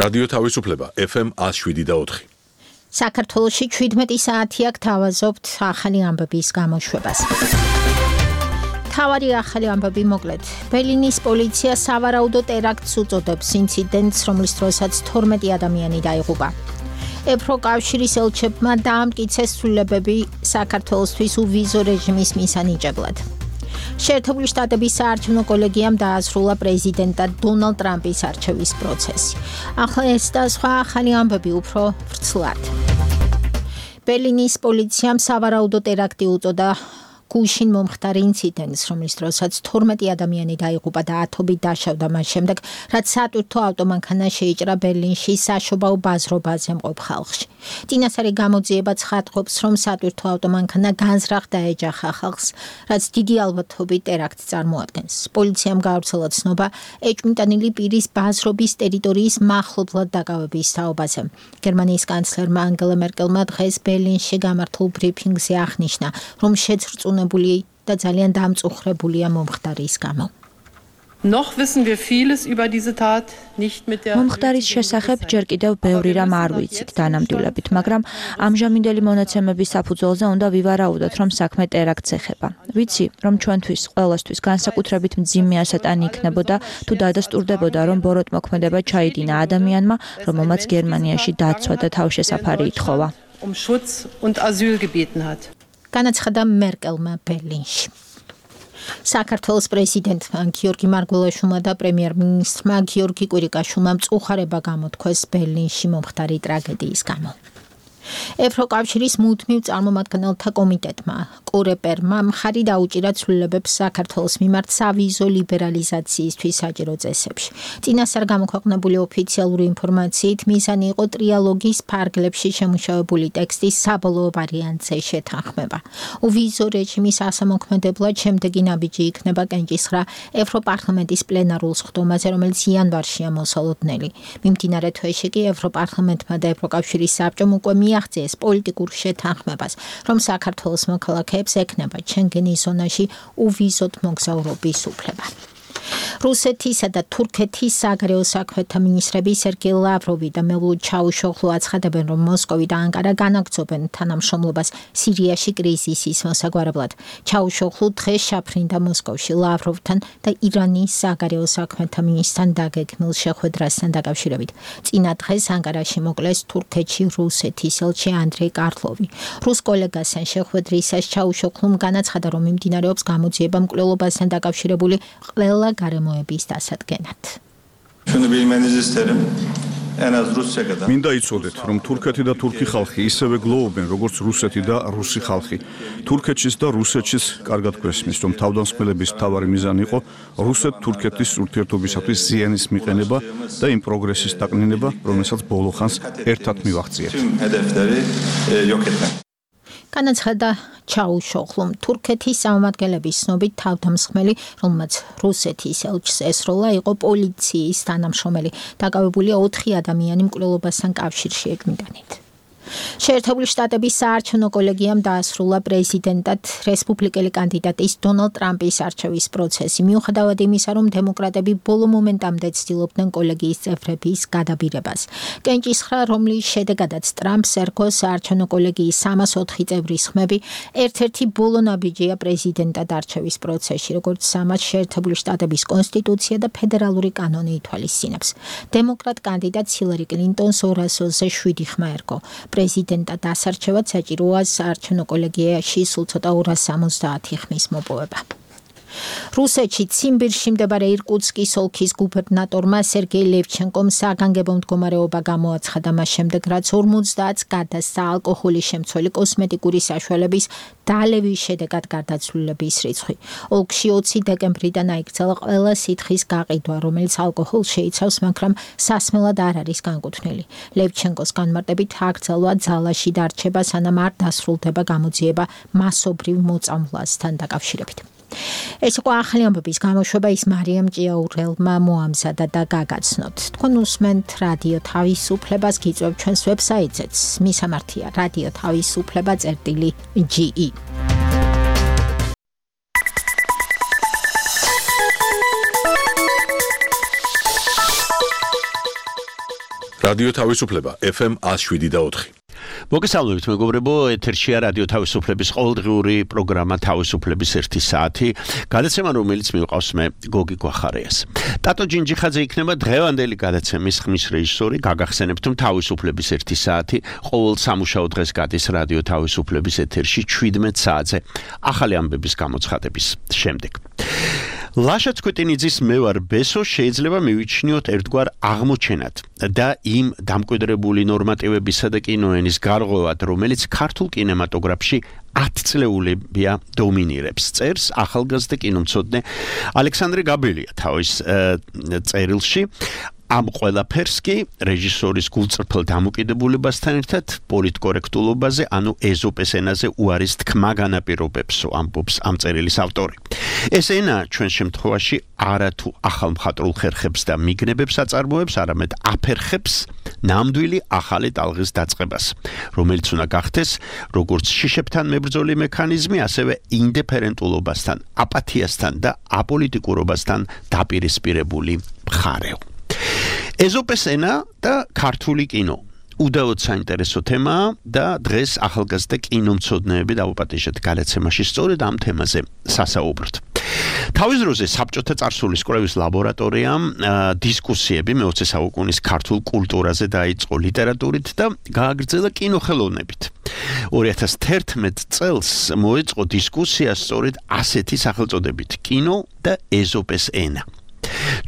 რადიო თავისუფლება FM 107.4. საქართველოში 17 საათი აქ თავაზობთ ახალი ამბების გამოშვებას. თავარი ახალი ამბები მოკლედ. ბერლინის პოლიცია სავარაუდო ტერაქტს უწოდებს ინციდენტს, რომლის დროსაც 12 ადამიანი დაიღუპა. ევროკავშირის ელჩებმა დაამტკიცეს ცვლილებები საქართველოსთვის უვიზო რეჟიმის მისანიჭებლად. შეერთებული შტატების საარჩევნო კოლეგიამ დაასრულა პრეზიდენტად დონალდ ტრამპის არჩევის პროცესი. ახლა ეს და სხვა ახალი ამბები უფრო ვრცლად. ბერლინის პოლიციამ სავარაუდო ტერაქტი უწოდა გუშინ მომხდარ ინციდენტს, რომლის დროსაც 12 ადამიანი დაიღუპა და ათობით დაშავდა მას შემდეგ, რაც სატვირთო ავტომანქანა შეიჭრა ბერლინში საშობაო ბაზრობაზე მყოფ ხალხში. წინასწარი გამოძიება ცხადყოფს, რომ სატვირთო ავტომანქანა განზრახ დაეჯახა ხალხს, რაც დიდი ალბათობით ტერაქტს წარმოადგენს. პოლიციამ გაავრცელა ცნობა ეჭვმიტანილი პირის ბაზრობის ტერიტორიის მახლობლად დაკავების თაობაზე. გერმანიის კანცლერმა ანგელა მერკელმა დღეს ბერლინში გამართულ ბრიფინგზე აღნიშნა, რომ და ძალიან დამწუხრებულია მომხდარის გამო. მომხდარის შესახებ ჯერ კიდევ ბევრი რამ არ ვიცით დანამდვილებით, მაგრამ ამჟამინდელი მონაცემების საფუძველზე უნდა ვივარაუდოთ, რომ საქმე ტერაქტს ეხება. ვიცი, რომ ჩვენთვის ყველასთვის განსაკუთრებით მძიმე ასატანი იქნებოდა, თუ დადასტურდებოდა, რომ ბოროტმოქმედება ჩაიდინა ადამიანმა, რომელმაც გერმანიაში დაცვა და თავშესაფარი ითხოვა. განაცხადა მერკელმა ბერლინში. საქართველოს პრეზიდენტმა გიორგი მარგველაშვილმა და პრემიერ-მინისტრმა გიორგი კვირიკაშვილმა მწუხარება გამოთქვეს ბერლინში მომხდარი ტრაგედიის გამო. ევროკავშირის მუდმივ წარმომადგენელთა კომიტეტმა კორეპერმა მხარი დაუჭირა ცვლილებებს საქართველოს მიმართ სავიზო ლიბერალიზაციისთვის საჭირო წესებში. წინასწარ გამოქვეყნებული ოფიციალური ინფორმაციით მიზანი იყო ტრიალოგის ფარგლებში შემუშავებული ტექსტის საბოლოო ვარიანტზე შეთანხმება. უვიზო რეჟიმის ასამოქმედებლად შემდეგი ნაბიჯი იქნება კენჭისხრა ევროპარლამენტის პლენარულ სხდომაზე, რომელიც იანვარშია მოსალოდნელი. მიმდინარე თვეში კი ევროპარლამენტმა და ევროკავშირის საბჭომ უკვე მიაღწიეს პოლიტიკურ შეთანხმებას, რომ საქართველოს მოქალაქეებს ექნება შენგენის ზონაში უვიზოდ მოგზაურობის უფლება. რუსეთისა და თურქეთის საგარეო საქმეთა მინისტრები სერგეი ლავროვი და მევლუდ ჩაუშოღლუ აცხადებენ, რომ მოსკოვი და ანკარა განაგრძობენ თანამშრომლობას სირიაში კრიზისის მოსაგვარებლად. ჩაუშოღლუ დღეს შაფრინდა მოსკოვში ლავროვთან და ირანის საგარეო საქმეთა მინისტრთან დაგეგმილ შეხვედრასთან დაკავშირებით. წინა დღეს ანკარაში მოკლეს თურქეთში რუსეთის ელჩი ანდრეი კარლოვი. რუს კოლეგასთან შეხვედრისას ჩაუშოღლუმ განაცხადა, რომ მიმდინარეობს გამოძიება მკვლელობასთან დაკავშირებული ყველა გარემოების დასადგენად. მინდა იცოდეთ, რომ თურქეთი და თურქი ხალხი ისევე გლოვობენ, როგორც რუსეთი და რუსი ხალხი. თურქეთშიც და რუსეთშიც კარგად გვესმის, რომ თავდამსხმელების მთავარი მიზანი იყო რუსეთ-თურქეთის ურთიერთობისათვის ზიანის მიყენება და იმ პროგრესის დაკნინება, რომელსაც ბოლო ხანს ერთად მივაღწიეთ. განაცხადა ჩაუშოღლუმ. თურქეთის წარმომადგენლების ცნობით თავდამსხმელი, რომელმაც რუსეთის ელჩს ესროლა, იყო პოლიციის თანამშრომელი. დაკავებულია 4 ადამიანი მკვლელობასთან კავშირში ეჭვმიტანით. შეერთებული შტატების საარჩევნო კოლეგიამ დაასრულა პრეზიდენტად რესპუბლიკელი კანდიდატის დონალდ ტრამპის არჩევის პროცესი. მიუხედავად იმისა, რომ დემოკრატები ბოლო მომენტამდე ცდილობდნენ კოლეგიის წევრების გადაბირებას. კენჭისხრა, რომლის შედეგადაც ტრამპს ერგო საარჩევნო კოლეგიის 304 წევრის ხმები, ერთ-ერთი ბოლო ნაბიჯია პრეზიდენტად არჩევის პროცესში, როგორც ამას შეერთებული შტატების კონსტიტუცია და ფედერალური კანონი ითვალისწინებს. დემოკრატ კანდიდატს ჰილარი კლინტონს 200-ზე 7 ხმა ერგო. პრეზიდენტად ასარჩევად საჭიროა საარჩევნო კოლეგიაში სულ ცოტა 270 ხმის მოპოვება. რუსეთში ციმბირში მდებარე ირკუტსკის ოლქის გუბერნატორმა სერგეი ლევჩენკომ საგანგებო მდგომარეობა გამოაცხადა მას შემდეგ, რაც 50-ს გადასცა ალკოჰოლის შემცველი კოსმეტიკური საშუალების დალევის შედეგად გარდაცვლილების რიცხვი. ოლქში 20 დეკემბრიდან აიქცელა ყველა სითხის გაყიდვა, რომელიც ალკოჰოლს შეიცავს, მაგრამ სასმელად არ არის განკუთვნილი. ლევჩენკოს განმარტებით აგრძელვა ძალაში დარჩება, სანამ არ დასრულდება გამოძიება მასობრივ მოწამვლასთან დაკავშირებით. ეს იყო ახალი ამბების გამოშვება, ის მარიამ ჭიაურელმა მოამზადა და გაგაცნოთ. თქვენ უსმენთ რადიო თავისუფლებას, გიწევთ ჩვენს ვებსაიტზეც. მისამართია რადიო თავისუფლება.ge. რადიო თავისუფლება FM 107.4. მოგესალმებით მეგობრებო, ეთერშია რადიო თავისუფლების ყოველდღიური პროგრამა თავისუფლების 1 საათი. გადაცემა რომელიც მივყავს მე გოგი გვახარიას. ტატო ჯინჯიხაძე იქნება დღევანდელი გადაცემის ხმის რეჟისორი. გაგახსენებთ რომ თავისუფლების 1 საათი ყოველ სამუშაო დღეს გადის რადიო თავისუფლების ეთერში 17 საათზე ახალი ამბების გამოცხადების შემდეგ. ლაშა ცკვეტინიძის მე ვარ ბესო შეიძლება მივიჩნიოთ ერთგვარ აღმოჩენად და იმ დამკვიდრებული ნორმატივებისა და კინოენის გარღვევად, რომელიც ქართულ კინემატოგრაფში 10 წლეულებია დომინირებს. წერს ახალგაზრდა კინომცოდნე ალექსანდრე გაბელია თავის წერილში. ამ ყველაფერს კი რეჟისორის გულწრფელ დამოკიდებულებასთან ერთად პოლიტკორექტულობაზე, ანუ ეზოპეს ენაზე უარის თქმა განაპირობებსო, ამბობს ამ წერილის ავტორი. ეს ენა ჩვენ შემთხვევაში არათუ ახალ მხატვრულ ხერხებს და მიგნებებს აწარმოებს, არამედ აფერხებს ნამდვილი ახალი ტალღის დაწყებას, რომელიც უნდა გახდეს როგორც შიშებთან მებრძოლი მექანიზმი, ასევე ინდიფერენტულობასთან, აპათიასთან და აპოლიტიკურობასთან დაპირისპირებული მხარეო. ეზოპეს ენა და ქართული კინო უდავოდ საინტერესო თემაა და დღეს ახალგაზრდა კინომცოდნეები დაუპატიჟეთ გადაცემაში სწორედ ამ თემაზე სასაუბროთ. თავის დროზე საბჭოთა წარსულის კვლევის ლაბორატორიამ დისკუსიები მე-20 საუკუნის ქართულ კულტურაზე დაიწყო ლიტერატურით და გააგრძელა კინოხელოვნებით. 2011 წელს მოეწყო დისკუსია სწორედ ასეთი სახელწოდებით კინო და ეზოპეს ენა.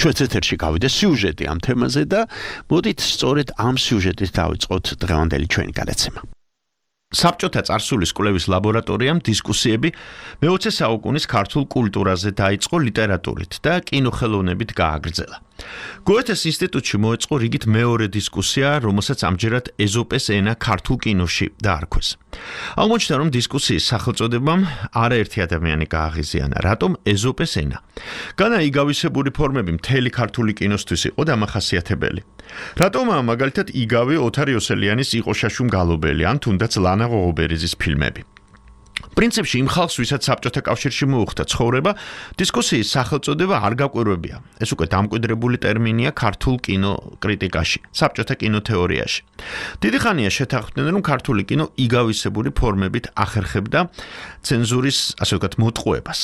ჩვენს ეთერში გავიდა სიუჟეტი ამ თემაზე და მოდით სწორედ ამ სიუჟეტით დავიწყოთ დღევანდელი ჩვენი გადაცემა. საბჭოთა წარსულის კვლევის ლაბორატორიამ დისკუსიები მე-20 საუკუნის ქართულ კულტურაზე დაიწყო ლიტერატურით და კინოხელოვნებით გააგრძელა. გოეთეს ინსტიტუტში მოეწყო რიგით მეორე დისკუსია, რომელსაც ამჯერად ეზოპეს ენა ქართულ კინოში დაარქვეს. აღმოჩნდა, რომ დისკუსიის სახელწოდებამ არაერთი ადამიანი გააღიზიანა, რატომ ეზოპეს ენა. განა იგავისებური ფორმები მთელი ქართული კინოსთვის იყო დამახასიათებელი. რატომაა მაგალითად იგავი ოთარ იოსელიანის იყო შაშუმ გალობელი ან თუნდაც ლანა ღოღობერიძის ფილმები. პრინციპში იმ ხალხს, ვისაც საბჭოთა კავშირში მოუხდა ცხოვრება, დისკუსიის სახელწოდება არ გაკვირვებია. ეს უკვე დამკვიდრებული ტერმინია ქართულ კინო კრიტიკაში, საბჭოთა კინოთეორიაში. დიდი ხანია შეთანხმდნენ, რომ ქართული კინო იგავისებური ფორმებით ახერხებდა ცენზურის, ასე ვთქვათ, მოტყუებას.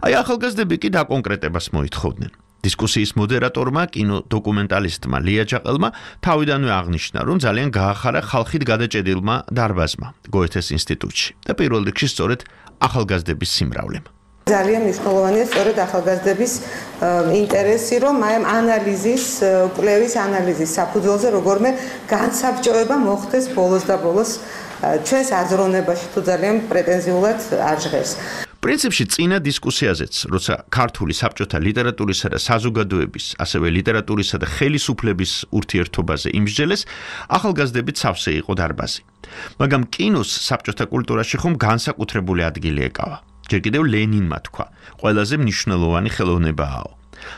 აი ახალგაზრდები კი დაკონკრეტებას მოითხოვდნენ. დისკუსიის მოდერატორმა, კინოდოკუმენტალისტმა ლია ჯაყელმა თავიდანვე აღნიშნა, რომ ძალიან გაახარა ხალხით გადაჭედილმა დარბაზმა გოეთეს ინსტიტუტში და პირველ რიგში სწორედ ახალგაზრდების სიმრავლემ. ძალიან მნიშვნელოვანია სწორედ ახალგაზრდების ინტერესი, რომ აი ამ კვლევის ანალიზის საფუძველზე როგორმე განსაბჭოება მოხდეს ბოლოს და ბოლოს ჩვენს აზროვნებაში თუ ძალიან პრეტენზიულად არ ჟღერს. პრინციპში წინა დისკუსიაზეც, როცა ქართული საბჭოთა ლიტერატურისა და საზოგადოების, ასევე ლიტერატურისა და ხელისუფლების ურთიერთობაზე იმსჯელეს, ახალგაზრდებით სავსე იყო დარბაზი. მაგრამ კინოს საბჭოთა კულტურაში ხომ განსაკუთრებული ადგილი ეკავა. ჯერ კიდევ ლენინმა თქვა, ყველაზე მნიშვნელოვანი ხელოვნებაა.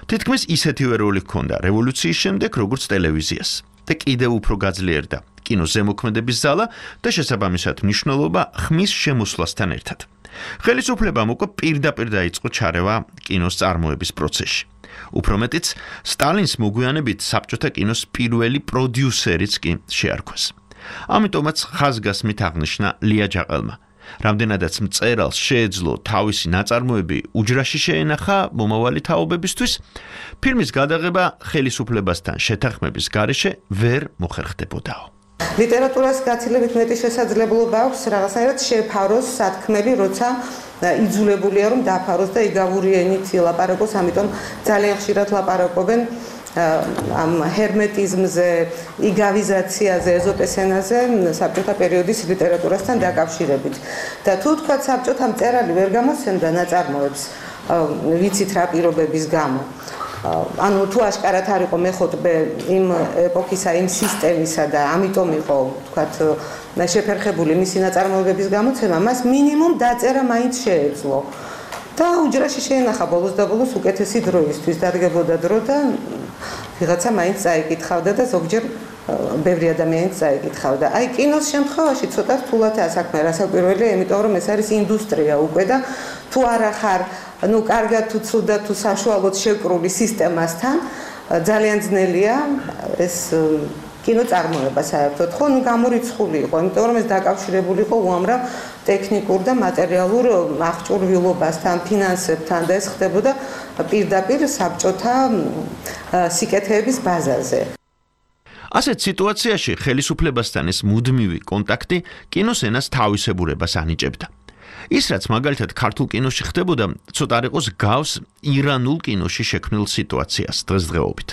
თითქმის ისეთივე როლი ჰქონდა რევოლუციის შემდეგ, როგორც ტელევიზიას. და კიდევ უფრო გაძლიერდა კინოს ზემოქმედების ზალა და შესაბამისად მნიშვნელობა ხმის შემოსვლასთან ერთად. ხელისუფლებამ უკვე პირდაპირ დაიწყო ჩარევა კინოს წარმოების პროცესში. უფრო მეტიც, სტალინს მოგვიანებით საბჭოთა კინოს პირველი პროდიუსერიც კი შეარქვეს. ამიტომაც ხაზგასმით აღნიშნა ლია ჯაყელმა. რამდენადაც მწერალს შეეძლო თავისი ნაწარმოები უჯრაში შეენახა მომავალი თაობებისთვის, ფილმის გადაღება ხელისუფლებასთან შეთანხმების გარეშე ვერ მოხერხდებოდაო. ლიტერატურას გაცილებით მეტი შესაძლებლობა აქვს რაღაცნაირად შეფაროს სათქმელი, როცა იძულებულია რომ დაფაროს და იგავური ენით ლაპარაკოს, ამიტომ ძალიან ხშირად ლაპარაკობენ ამ ჰერმეტიზმზე, იგავიზაციაზე, ეზოპეს ენაზე საბჭოთა პერიოდის ლიტერატურასთან დაკავშირებით. და თუ თქვა საბჭოთა მწერალი ვერ გამოსცემდა ნაწარმოებს ვიცით რა პირობების გამო. ანუ თუ აშკარად არ იყო მეხოთბე იმ ეპოქისა, იმ სისტემისა და ამიტომ იყო, ვთქვათ, შეფერხებული მისი ნაწარმოებების გამოცემა, მას მინიმუმ დაწერა მაინც შეეძლო. და უჯრაში შეენახა ბოლოს და ბოლოს უკეთესი დროისთვის, დადგებოდა დრო და ვიღაცა მაინც წაიკითხავდა და ზოგჯერ ბევრი ადამიანიც წაიკითხავდა. აი კინოს შემთხვევაში ცოტა რთულადაა საქმე, რასაკვირველია, იმიტომ რომ ეს არის ინდუსტრია უკვე და თუ არა ხარ, ну, კარგად თუ ცუდად თუ საშუალოდ შეკრული სისტემასთან, ძალიან ძნელია ეს კინოწარმოება საერთოდ ხო გამორიცხული იყო, იმიტომ რომ ეს დაკავშირებული იყო უამრავ ტექნიკურ და მატერიალურ აღჭურვილობასთან, ფინანსებთან და ეს ხდებოდა პირდაპირ საბჭოთა სიკეთეების ბაზაზე. ასეთ სიტუაციაში ხელისუფლებასთან ეს მუდმივი კონტაქტი კინოს ენას თავისებურებას ანიჭებდა. ის რაც მაგალითად ქართულ კინოში ხდებოდა, ცოტა არ იყოს გავს ირანულ კინოში შექმნილ სიტუაციას დღესდღეობით.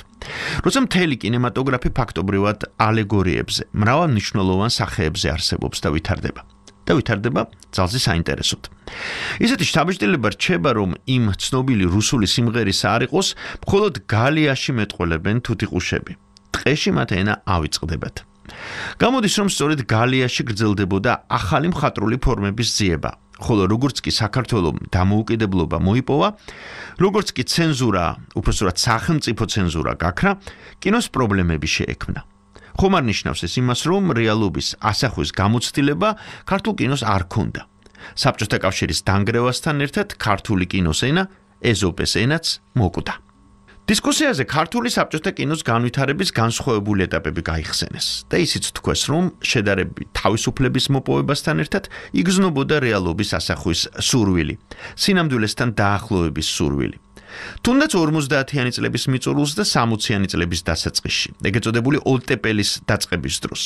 როცა მთელი კინემატოგრაფი ფაქტობრივად ალეგორიებზე, მრავალმნიშვნელოვან სახეებზე არსებობს და ვითარდება ძალზე საინტერესოდ. ისეთი შთაბეჭდილება რჩება, რომ იმ ცნობილი რუსული სიმღერისა არ იყოს, მხოლოდ გალიაში მეტყველებენ თუთიყუშები. ტყეში მათ ენა ავიწყდებათ. გამოდის, რომ სწორედ გალიაში გრძელდებოდა ახალი მხატვრული ფორმების ძიება, ხოლო როგორც კი საქართველოს დამოუკიდებლობა მოიპოვა, როგორც კი ცენზურა, უпростоრად სახელმწიფო ცენზურა გაქრა, კინოს პრობლემები შეექმნა. ხომ არ ნიშნავს ეს იმას, რომ რეალობის ასახვის გამოცდილება ქართულ კინოს არ ქონდა. საბჭოთა კავშირის დანგრევასთან ერთად ქართული კინოს ენა, ეზოპეს ენაც მოკვდა. დისკუსიაზე ქართული საბჭოთა კინოს განვითარების განსხვავებული ეტაპები გაიხსენეს და ისიც თქვეს, რომ შედარებით თავისუფლების მოპოვებასთან ერთად იგრძნობოდა რეალობის ასახვის სურვილი, სინამდვილესთან დაახლოების სურვილი. თუნდაც 50-იანი წლების მიწურულს და 60-იანი წლების დასაწყისში, ეგრეთ წოდებული ოლტეპელის დაწყების დროს,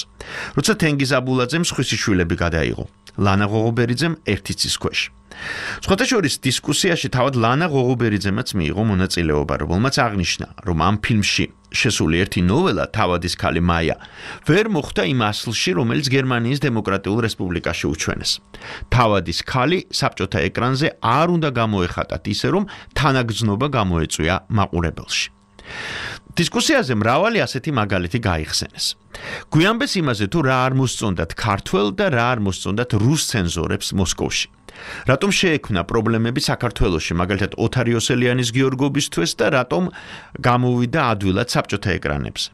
როცა თენგიზ აბულაძემ სხვისი შვილები გადაიღო, ლანა ღოღობერიძემ ერთი ცის ქვეშ. სხვათა შორის დისკუსიაში თავად ლანა ღოღობერიძემაც მიიღო მონაწილეობა, რომელმაც აღნიშნა, რომ ამ ფილმში შესული ერთი ნოველა თავადის ქალი მაია ვერ მოხვდა იმ ასლში, რომელიც გერმანიის დემოკრატიულ რესპუბლიკაში უჩვენეს. თავადის ქალი საბჭოთა ეკრანზე არ უნდა გამოეხატათ ისე, რომ თანაგრძნობა გამოეწვია მაყურებელში. დისკუსიაზე მრავალი ასეთი მაგალითი გაიხსენეს. გვიანბეს იმაზე, თუ რა არ მოსწონდათ ქართველ და რა არ მოსწონდათ რუს ცენზორებს მოსკოვში. რატომ შეექმნა პრობლემები საქართველოში, მაგალითად ოთარ იოსელიანის გიორგობისთვის და რატომ გამოვიდა ადვილად საბჭოთა ეკრანებზე.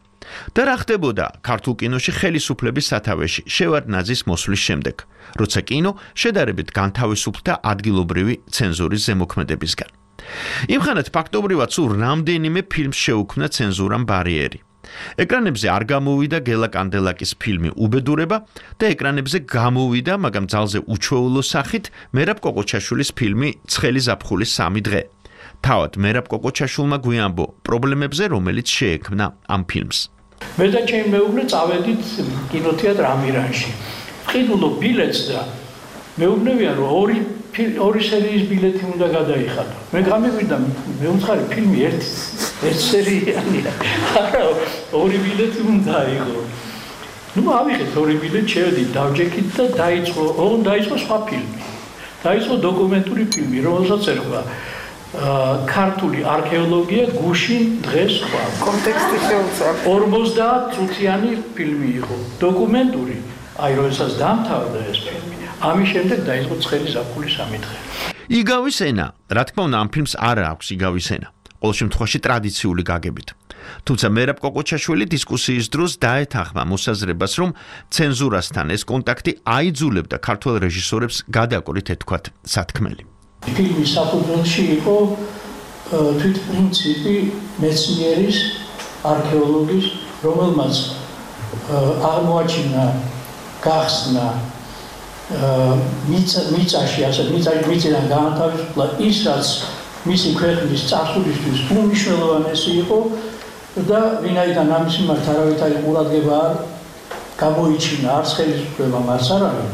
და რა ხდებოდა ქართულ კინოში ხელისუფლების სათავეში შევარდნაძის მოსვლის შემდეგ, როცა კინო შედარებით განთავისუფლდა ადგილობრივი ცენზურის ზემოქმედებისგან. იმხანად ფაქტობრივად სულ რამდენიმე ფილმს შეუქმნა ცენზურამ ბარიერი. ეკრანებზე არ გამოვიდა გელა კანდელაკის ფილმი უბედურება და ეკრანებზე გამოვიდა, მაგრამ ძალზე უჩვეულო სახით მერაბ კოკოჩაშვილის ფილმი ცხელი ზაფხულის 3 დღე. თავად მერაბ კოკოჩაშვილმა გვიანბო პრობლემებზე, რომელიც შეექმნა ამ ფილმს. მე და ჩემი მეუღლე წავედით კინოთეატრ ამირანში. ვყიდულობ ბილეთს და მეუბნებიან, რომ ორი სერიის ბილეთი უნდა გადაიხადო. მე გამიგვიდა, მე უცხარი ფილმი ერთი სერიალია. არა, ორი ბილეთი უნდა აიღო. ნუ ავიღეთ ორი ბილეთი, შევედით, დავჯექით და დაიწყო სხვა ფილმი. დაიწყო დოკუმენტური ფილმი, რომელსაც ერქვა ქართული არქეოლოგია გუშინ დღეს სხვა. კონტექსტი შეუცვალ. 50 წუთიანი ფილმი იყო, დოკუმენტური. აი, როდესაც დამთავრდა ეს ფილმი, ამის შემდეგ დაიწყო ცხელი ზაფხულის 3 დღე. იგავის ენა, რა თქმა უნდა, ამ ფილმს არ აქვს იგავის ენა. ყოველ შემთხვევაში ტრადიციული გაგებით. თუმცა მერაბ კოკოჩაშვილი დისკუსიის დროს დაეთანხმა მოსაზრებას, რომ ცენზურასთან ეს კონტაქტი აიძულებდა ქართველ რეჟისორებს გადაკვირით ეთქვათ სათქმელი. ფილმის საფუძველში იყო თვითპრინციპი მეცნიერის, არქეოლოგის, რომელმაც აღმოაჩინა, გახსნა მიწაში, მიწიდან გაანთავისუფლა ის, რაც მისი ქვეყნის წარსულისთვის უმნიშვნელოვანესი იყო და ვინაიდან ამის მიმართ არავითარი ყურადღება არ გამოიჩინა, არც ხელისუფლებამ, არც არავინ,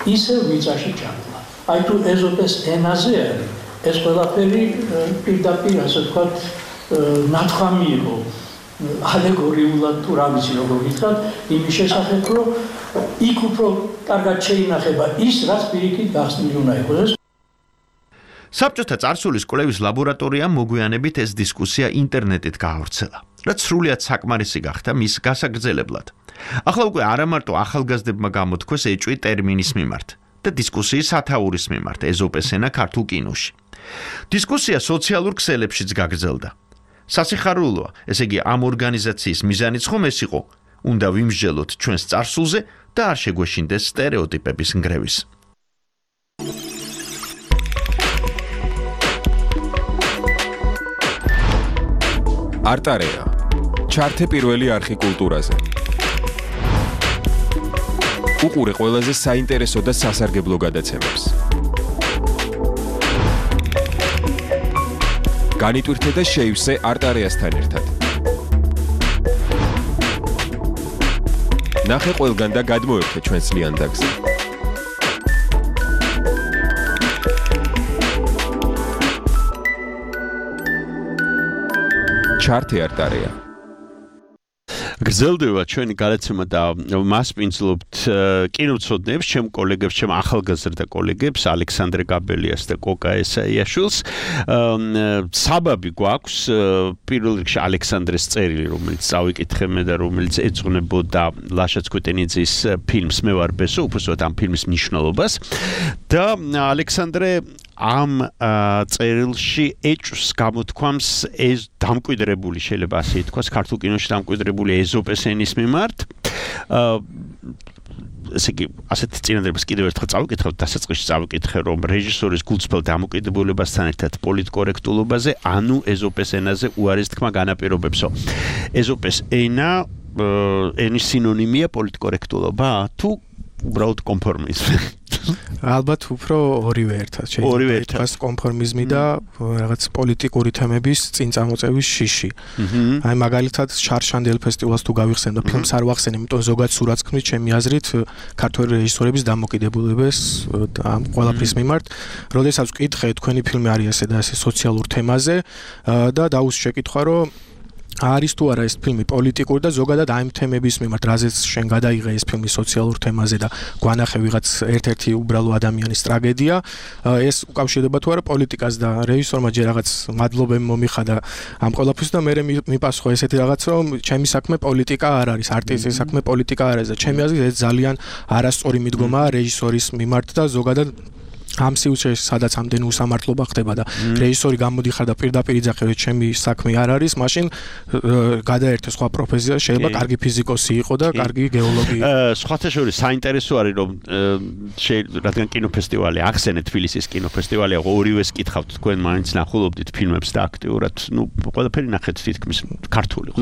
ისევ მიწაში ჭამდა. აი თუ ეზოპეს ენაზე არის, ეს ყველაფერი პირდაპირ, ასე ვთქვათ, ნათქვამი იყო ალეგორიულად თუ რა ვიცი როგორ ვითხრათ, იმის შესახებ, რომ იქ უფრო კარგად შეინახება ის, რაც პირიქით გახსნილი უნდა იყოს. საბჭოთა წარსულის კვლევის ლაბორატორიამ მოგვიანებით ეს დისკუსია ინტერნეტით გაავრცელა, რაც სრულიად საკმარისი გახდა მის გასაგრძელებლად. ახლა უკვე არა მარტო ახალგაზრდებმა გამოთქვეს ეჭვი ტერმინის მიმართ და დისკუსიის სათაურის მიმართ ეზოპეს ენა ქართულ კინოში. დისკუსია სოციალურ ქსელებშიც გაგრძელდა. სასიხარულოა, ესე იგი ამ ორგანიზაციის მიზანიც ხომ ეს იყო, უნდა ვიმსჯელოთ ჩვენს წარსულზე და არ შეგვეშინდეს სტერეოტიპების ნგრევის. არტარეა. ჩართე პირველი არხი კულტურაზე. უყურე ყველაზე საინტერესო და სასარგებლო გადაცემებს. განიტვირთე და შეივსე არტარიასთან ერთად. ნახე ყველგან და გადმოერთე ჩვენს ლიანდაგზე. ჩართე არტარია. გრძელდება ჩვენი გადაცემა და მასპინძლობთ კინოცოდნებს, ჩემ კოლეგებს, ჩემ ახალგაზრდა კოლეგებს, ალექსანდრე გაბელიას და კოკა ესაიაშვილს. საბაბი გვაქვს პირველ რიგში ალექსანდრეს წერილი, რომელიც წავიკითხე მე და რომელიც ეძღვნებოდა ლაშა ცქვეტენიძის ფილმს მე ვარ ბესო, უბრალოდ ამ ფილმის მნიშვნელობას და ალექსანდრე ამ წერილში ეჭვს გამოთქვამს ეს დამკვიდრებული შეიძლება ასე ითქვას ქართულ კინოში დამკვიდრებული ეზოპეს ენის მიმართ ესე იგი ასეთ წინადადებას კიდევ ერთხელ წავიკითხავთ დასაწყისში წავიკითხე რომ რეჟისორის გულწრფელ დამოკიდებულებასთან ერთად პოლიტკორექტულობაზე ანუ ეზოპეს ენაზე უარის თქმა განაპირობებსო ეზოპეს ენა ენის სინონიმია პოლიტკორექტულობა თუ უბრალოდ კონფორმიზმი ალბათ უფრო ორივე ერთად შეიძლება კონფორმიზმი და რაღაც პოლიტიკური თემების წინ წამოწევის შიში. აი მაგალითად შარშანდელ ფესტივალს თუ გავიხსენ და ფილმს არ ვახსენ, იმიტომ ზოგადად სურათს ქმნის ჩემი აზრით ქართველი რეჟისორების დამოკიდებულებას ამ ყველაფრის მიმართ. როდესაც ვკითხე თქვენი ფილმი არის ასე და ასე სოციალურ თემაზე და დაუს შეკითხვა რომ არის თუ არა ეს ფილმი პოლიტიკური და ზოგადად ამ თემების მიმართ, რაზეც შენ გადაიღე ეს ფილმი სოციალურ თემაზე და გვანახე ვიღაც ერთ-ერთი უბრალო ადამიანის ტრაგედია, ეს უკავშირდება თუ არა პოლიტიკას და რეჟისორმა ჯერ რაღაც მადლობები მომიხადა ამ ყველაფრის და მე მიპასუხა ესეთი რაღაც რომ ჩემი საქმე პოლიტიკა არ არის, არტისტის საქმე პოლიტიკა არ არის და ჩემი აზრით ეს ძალიან არასწორი მიდგომაა რეჟისორის მიმართ და ზოგადად ამ სიუჟეტში სადაც ამდენი უსამართლობა ხდება და რეჟისორი გამოდიხარ და პირდაპირ იძახე ჩემი საქმე არ არის, მაშინ გადაერთე სხვა პროფესია, შეიძლება კარგი ფიზიკოსი იყო და კარგი გეოლოგი. სხვათა შორის საინტერესო არის რომ რადგან კინოფესტივალი ახსენეთ თბილისის კინოფესტივალი, ორივეს კითხავთ თქვენ მაინც ნახულობდით ფილმებს და აქტიურად, ну, ყველაფერი ნახეთ თითქმის ქართული, ხო?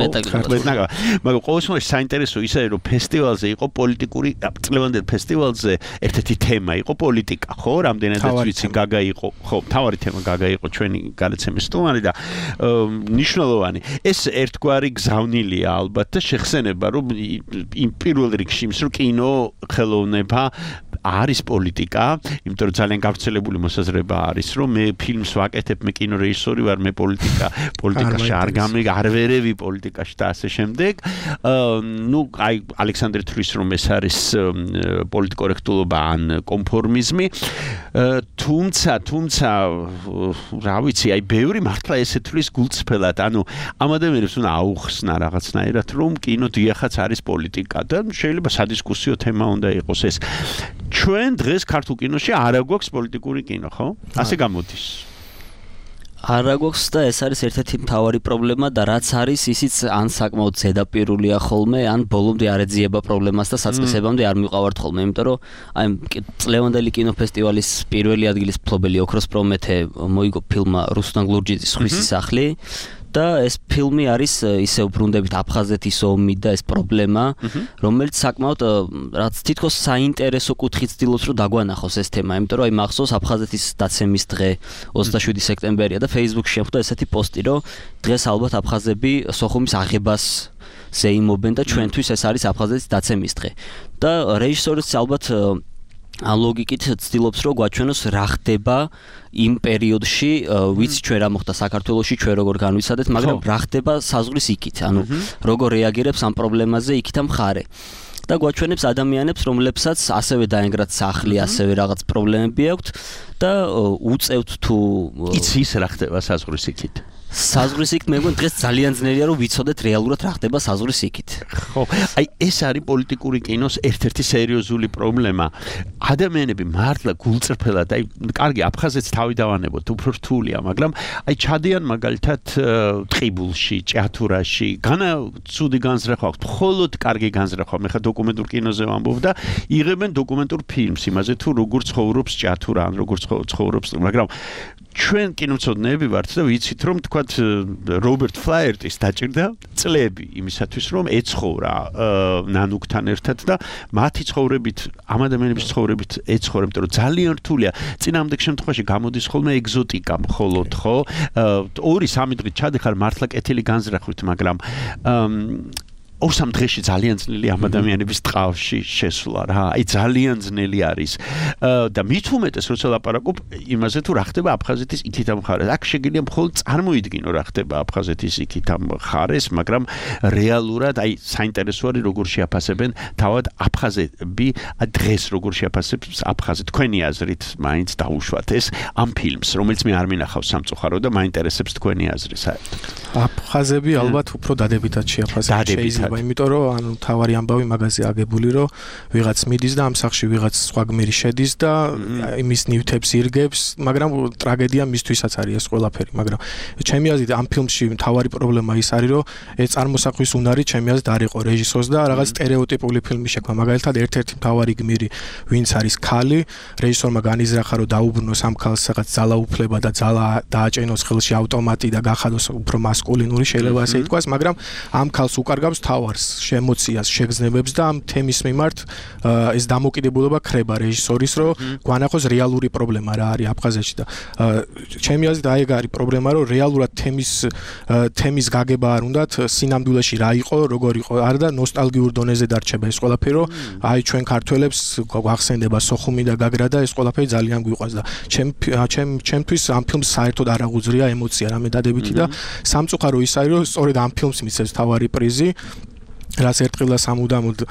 მაგრამ ყოველ შემთხვევაში საინტერესო ისაა რომ ფესტივალზე იყო პოლიტიკური, წლევანდელ ფესტივალზე ერთ-ერთი თემა იყო პოლიტიკა, ხო? რამდენადაც ვიცი გაგა იყო, ხო, თავარი თემა გაგა იყო ჩვენი გადაცემის სტუმარი და მნიშვნელოვანი. ეს ერთგვარი გზავნილია ალბათ და შეხსენება რომ იმ პირველ რიგში იმის რომ კინო ხელოვნება არის პოლიტიკა, იმიტომ რომ ძალიან გავრცელებული მოსაზრება არის რომ მე ფილმს ვაკეთებ, მე კინორეჟისორი ვარ, მე პოლიტიკაში არ ვერევი პოლიტიკაში და ასე შემდეგ. ну, აი ალექსანდრე თვლის რომ ეს არის პოლიტკორექტულობა ან კონფორმიზმი. თუმცა რა ვიცი, აი ბევრი მართლა ესე თვლის გულწრფელად, ანუ ამ ადამიანებს უნდა აუხსნა რაღაცნაირად რომ კინო დიახაც არის პოლიტიკა და შეიძლება სადისკუსიო თემა უნდა იყოს ეს. ჩვენ დღეს ქართულ კინოში არ აგვაქვს პოლიტიკური კინო, ხო? ასე გამოდის. არ აგვაქვს და ეს არის ერთ-ერთი მთავარი პრობლემა და რაც არის ისიც ან საკმაოდ ზედაპირულია ხოლმე, ან ბოლომდე არ ეძიება პრობლემას და საწყისებამდე არ მივყავართ ხოლმე, იმიტომ რომ აი წლევანდელი კინოფესტივალის პირველი ადგილის მფლობელი ოქროს პრომეთე მოიგო ფილმმა რუსლან გლურჯიძის ხვისის სახლი და ეს ფილმი არის ისე უბრუნდებით აფხაზეთის ომი და ეს პრობლემა, რომელიც საკმაოდ რაც თითქოს საინტერესო კუთხით ცდილობს რომ დაგვანახოს ეს თემა, იმიტომ რომ აი მახსოვს აფხაზეთის დაცემის დღე 27 სექტემბერია და Facebook-ში შეხვდა ესეთი პოსტი, რომ დღეს ალბათ აფხაზები სოხუმის აღებას ზეიმობენ და ჩვენთვის ეს არის აფხაზეთის დაცემის დღე. და რეჟისორიც ალბათ ამ ლოგიკით ცდილობს რომ გვაჩვენოს რა ხდება იმ პერიოდში, ვიცი ჩვენ რა მოხდა საქართველოში, ჩვენ როგორ განვიცადეთ, მაგრამ რა ხდება საზღვრის იქით, ანუ როგორ რეაგირებს ამ პრობლემაზე იქით მხარე. და გვაჩვენებს ადამიანებს, რომლებსაც ასევე დაენგრათ სახლი, ასევე რაღაც პრობლემები აქვთ და უწევთ თუ იცი ის რა ხდება საზღვრის იქით. საზღვრის იქით მე მგონი დღეს ძალიან ძნელია რომ ვიცოდეთ რეალურად რა ხდება საზღვრის იქით. ხო, აი ეს არის პოლიტიკური კინოს ერთ-ერთი სერიოზული პრობლემა. ადამიანები მართლა გულწრფელად, აი კარგი აფხაზეთს თავი დავანებოთ, უფრო რთულია, მაგრამ აი ჩადიან მაგალითად ტყიბულში, ჭიათურაში, ცუდი განზრახვა აქვს, მხოლოდ კარგი განზრახვა, მე ხა დოკუმენტურ კინოზე ვამბობ და იღებენ დოკუმენტურ ფილმს იმაზე თუ როგორ ცხოვრობს ჭიათურა, ან როგორ ცხოვრობს, მაგრამ ჩვენ კინომცოდნეები ვართ და ვიცით რომ თქვათ რობერტ ფლაიერტის დაჭირდა წლები იმისათვის რომ ეცხოვრა ნანუკთან ერთად და მათი ცხოვრებით ამ ადამიანების ცხოვრებით ეცხოვრა იმიტომ რომ ძალიან რთულია წინამდეგ შემთხვევაში გამოდის ხოლმე ეგზოტიკა მხოლოდ ხო 2-3 დღით ჩადიხარ მართლა კეთილი განზრახვით მაგრამ 2-3 დღეში ძალიან ძნელი ამ ადამიანების ტყავში შესვლა რა. აი ძალიან ძნელი არის. და მით უმეტეს როცა ლაპარაკობ იმაზე თუ რა ხდება აფხაზეთის იქით ამ მხარეს. აქ შეგიძლია მხოლოდ წარმოიდგინო რა ხდება აფხაზეთის იქით ამ მხარეს, მაგრამ რეალურად აი საინტერესო არის როგორ შეაფასებენ თავად აფხაზები დღეს როგორ შეაფასებს აფხაზი. თქვენი აზრით მაინც დაუშვათ ეს ამ ფილმს, რომელიც მე არ მინახავს სამწუხარო და მაინტერესებს თქვენი აზრი საერთოდ. აფხაზები ალბათ უფრო დადებითად შეაფასებენ. იმიტომ რომ ანუ თავარი ამბავი მაგაზე აგებული რომ ვიღაც მიდის და ამ სახში ვიღაც სხვა გმირი შედის და იმის ნივთებს ირგებს, მაგრამ ტრაგედია მისთვისაც არის ეს ყველაფერი, მაგრამ ჩემი აზრით ამ ფილმში თავარი პრობლემა ის არის რომ ეს წარმოსახვის უნარი ჩემი აზრით არ იყო რეჟისორს და რაღაც სტერეოტიპული ფილმი შექმნა. მაგალითად ერთ-ერთი თავარი გმირი ვინც არის ქალი, რეჟისორმა განიზრახა რომ დაუბრუნოს ამ ქალს რაღაც ძალაუფლება და ძალა დააჭენოს ხელში ავტომატი და გახადოს უფრო მასკულინური შეიძლება ასე ითქვას, მაგრამ ამ ქალს უკარგავს თავარს, ემოციას, შეგრძნებებს და ამ თემის მიმართ ეს დამოკიდებულება ხრება რეჟისორის, რომ გვანახოს რეალური პრობლემა რა არის აფხაზეთში და ჩემი აზრით აი ეგ არის პრობლემა, რომ რეალურად თემის გაგება არ უნდათ სინამდვილეში რა იყო, როგორ იყო, არა და ნოსტალგიურ დონეზე დარჩება ეს ყველაფერი, რომ აი ჩვენ ქართველებს გვახსენდება სოხუმი და გაგრა და ეს ყველაფერი ძალიან გვიყვარს და ჩემთვის ამ ფილმს საერთოდ არ აღუძრია ემოცია რამე დადებითი და სამწუხარო ის არის, რომ სწორედ ამ ფილმს მისცემს თავარი პრიზი რაც ერთხელ სამუდამოდ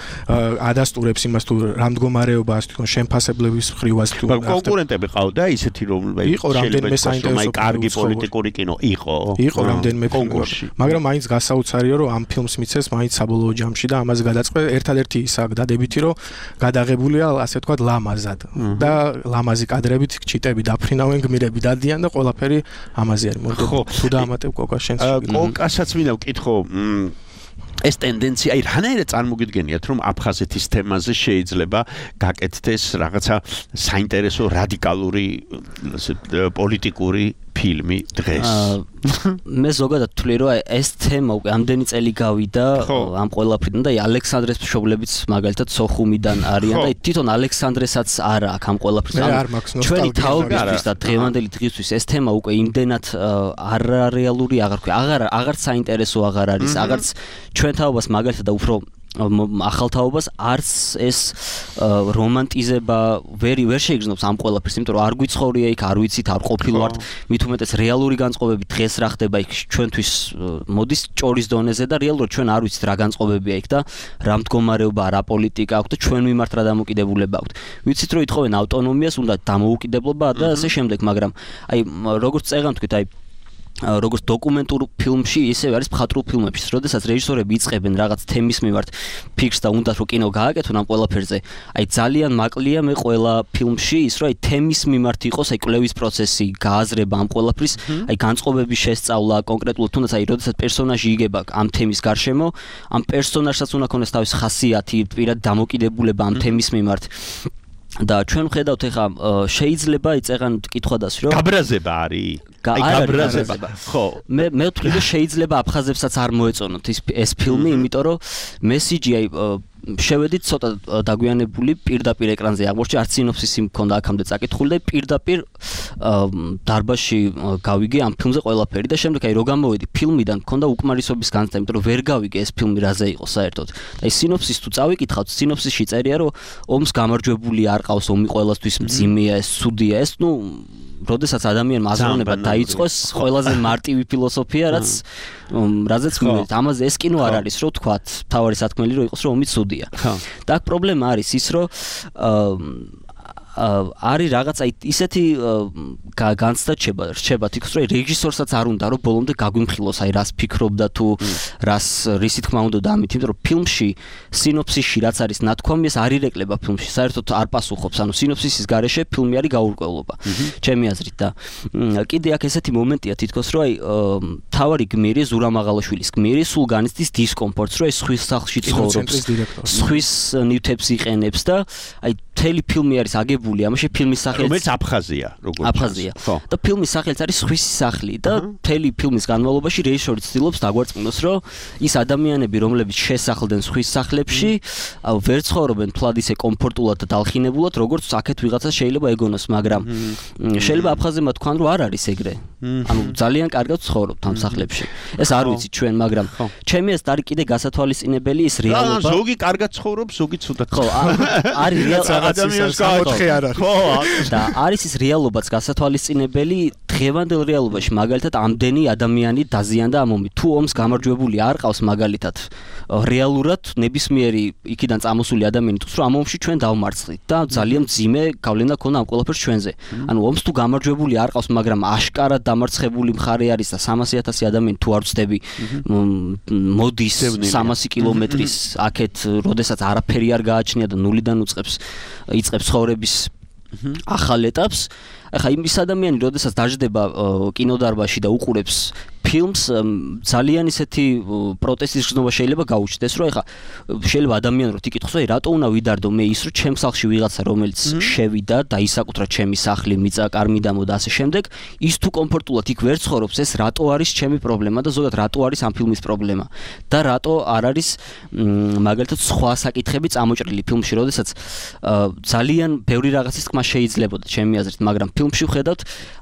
ადასტურებს იმას თუ რა მდგომარეობაა თვითონ შემფასებლების მხრივაც თუ კონკურენტები ყავდა ისეთი რომ იყო რამდენიმე საინტერესო კარგი პოლიტიკური კინო იყო რამდენიმე კონკურსი მაგრამ მაინც გასაოცარია რომ ამ ფილმს მიცეს მაინც საბოლოო ჯამში და ამას გადაწყდა ერთადერთი ისა დადებითი რომ გადაღებულია ასე თქვა ლამაზად და ლამაზი კადრებით ჩიტები დაფრინავენ გმირები დადიან და ყველაფერი ამაზე არის მოდო თუ დაამატებ კოკა შენს კოკასაც მინდა ვკითხო ეს ტენდენცია აი რანაირად წარმოგიდგენიათ რომ აფხაზეთის თემაზე შეიძლება გაკეთდეს რაღაცა საინტერესო რადიკალური პოლიტიკური ფილმი დღეს. მე ზოგადად ვთვლი რომ ეს თემა უკვე ამდენი წელი გავიდა ამ ყველაფრიდან და ალექსანდრეს მშობლებიც მაგალითად სოხუმიდან არიან და თვითონ ალექსანდრესაც არ აქვს ამ ყველაფრიდან. ჩვენი თაობისთვის და დღევანდელი დღისთვის ეს თემა უკვე იმდენად არარეალური აღარ ვქვა. აღარ საინტერესო აღარ არის. აღარც ჩვენ თაობას მაგალითად და უფრო ახალ თაობას არც ეს რომანტიზება ვერ შეიგრძნობს ამ ყველაფერს, იმიტომ რომ არ გვიცხოვრია იქ, არ ვიცით, არ ყოფილვართ, მით უმეტეს რეალური განწყობები დღეს რა ხდება იქ ჩვენთვის მოდის ჭორის დონეზე და რეალურად ჩვენ არ ვიცით რა განწყობებია იქ და რა მდგომარეობა, რა პოლიტიკა აქვს და ჩვენ მიმართ რა დამოკიდებულება აქვს. ვიცით რომ ითხოვენ ავტონომიას, უნდა დამოუკიდებლობა და ასე შემდეგ, მაგრამ აი როგორც წეგან თქვით, აი როგორც დოკუმენტურ ფილმში, ისე არის მხატვრულ ფილმებში, როდესაც რეჟისორები იწყებენ რაღაც თემის მიმართ ფიქრს და უნდათ რომ კინო გააკეთონ ამ ყველაფერზე. აი ძალიან მაკლია მე ყველა ფილმში ის რომ აი თემის მიმართ იყოს აი კვლევის პროცესი, გააზრება ამ ყველაფრის, აი განწყობების შესწავლა, კონკრეტულად თუნდაც აი როდესაც პერსონაჟი იგება ამ თემის გარშემო, ამ პერსონაჟსაც უნდა ქონდეს თავის ხასიათი, პირად დამოკიდებულება ამ თემის მიმართ. და ჩვენ ხედავთ ეხა შეიძლება იწეღან კითხვა დასი რომ გაბრაზება არის გაბრაზება ხო მე ვთვლი რომ შეიძლება აფხაზებსაც არ მოეწონოთ ეს ფილმი იმიტომ რომ მესიჯი აი შევედით ცოტა დაგვიანებული პირდაპირ ეკრანზე აღმოჩნდა არც სინოფსისი მქონდა აქამდე წაკითხული და პირდაპირ დარბაზში გავიგე ამ ფილმზე ყველაფერი და შემდეგ აი რო გამოვედი ფილმიდან მქონდა უკმარისობის განცდა იმიტომ რომ ვერ გავიგე ეს ფილმი რაზე იყო საერთოდ და აი სინოფსის თუ წავიკითხავთ სინოფსისში წერია რომ ომს გამარჯვებული არ ყავს ომი ყველასთვის მძიმეა ეს ცუდია ეს ნუ როდესაც ადამიანმა აზროვნება დაიწყოს ყველაზე მარტივი ფილოსოფია რაც რაზეც მივედით ამაზე ეს კინო არ არის რო თქვათ თავარი სათქმელი რო იყოს რომ ომი ცუდია და აქ პრობლემა არის ის რომ არის რაღაც აი ისეთი განცდა რჩება თქოს რომ რეჟისორსაც არ უნდა რომ ბოლომდე გაგვიმხილოს აი რას ფიქრობდა თუ რისი თქმა უნდა და ამით იმიტომ რომ ფილმში სინოფსისში რაც არის ნათქვამი ეს არ ირეკლება ფილმში საერთოდ არ პასუხობს ანუ სინოფსისის გარეშე ფილმი არის გაურკვევლობა ჩემი აზრით და კიდე აქ ესეთი მომენტია თითქოს რომ აი თავარი გმირი ზურა მაღალაშვილის გმირი სულ განიცდის დისკომფორტს რომ ეს ხვის სახლში ცხოვრობს ხვის ნივთებს იყენებს და აი მთელი ფილმი არის აგებული გამარჯვებული, ამაში ფილმის სახელიც რომელიც აფხაზია, როგორც აფხაზია. და ფილმის სახელიც არის სხვისი სახლი და მთელი ფილმის განმავლობაში რეჟისორი ცდილობს დაგვარწმუნოს, რომ ის ადამიანები, რომლებიც შესახლდნენ სხვის სახლებში, ვერ ცხოვრობენ თლად ისე კომფორტულად და დალხინებულად, როგორც აქეთ ვიღაცას შეიძლება ეგონოს, მაგრამ შეიძლება აფხაზებმა თქვან, რომ არ არის ეგრე. ანუ ძალიან კარგად ცხოვრობთ ამ სახლებში. ეს არ ვიცი ჩვენ, მაგრამ ჩემი ეს არის კიდე გასათვალისწინებელი ის რეალობა. ზოგი კარგად ცხოვრობს, ზოგი ცუდად. ხო, არის ადამიანს გაოთხე არ არის. ხო, და არის ის რეალობაც გასათვალისწინებელი დღევანდელ რეალობაში, მაგალითად, ამდენი ადამიანი დაზიანდა ამ ომით. თუ ომს გამარჯვებული არ ყავს მაგალითად, რეალურად ნებისმიერი იქიდან წამოსული ადამიანი თქოს, რომ ამ ომში ჩვენ დავმარცხდით და ძალიან მძიმე გავლენა ქონდა ამ ყველაფერს ჩვენზე. ანუ ომს თუ გამარჯვებული არ ყავს, მაგრამ აშკარად დამარცხებული მხარე არის და 300,000 ადამიანი თუ არ ვწდები, მოდის 300 კილომეტრის აქეთ, როდესაც არაფერი არ გააჩნია და ნულიდან იწყებს ცხოვრების ახალ ეტაპს. ახლა იმის ადამიანი, როდესაც დაждდება კინოდარბაზში და უყურებს ფილმს, ძალიან ისეთი პროტესტის გზნობა შეიძლება გაუჩნდეს, რომ ახლა შეიძლება ადამიანი რომ იკითხოს, აი რატო უნდა ვიდარდო მე ის, რომ ჩემს სახლში ვიღაცა რომელიც შევიდა და ისაკუთრა ჩემი სახლი, მიწა, კარმიდამო და ასე შემდეგ, ის თუ კომფორტულად იქ ვერ ცხოვრობს, ეს რატო არის ჩემი პრობლემა და ზოგადად რატო არის ამ ფილმის პრობლემა და რატო არ არის მაგალითად სხვა საკითხები წამოჭრილი ფილმში, როდესაც ძალიან ბევრი რაღაცის თქმა შეიძლებოდა ჩემი აზრით, მაგრამ ფილმში ვხედავთ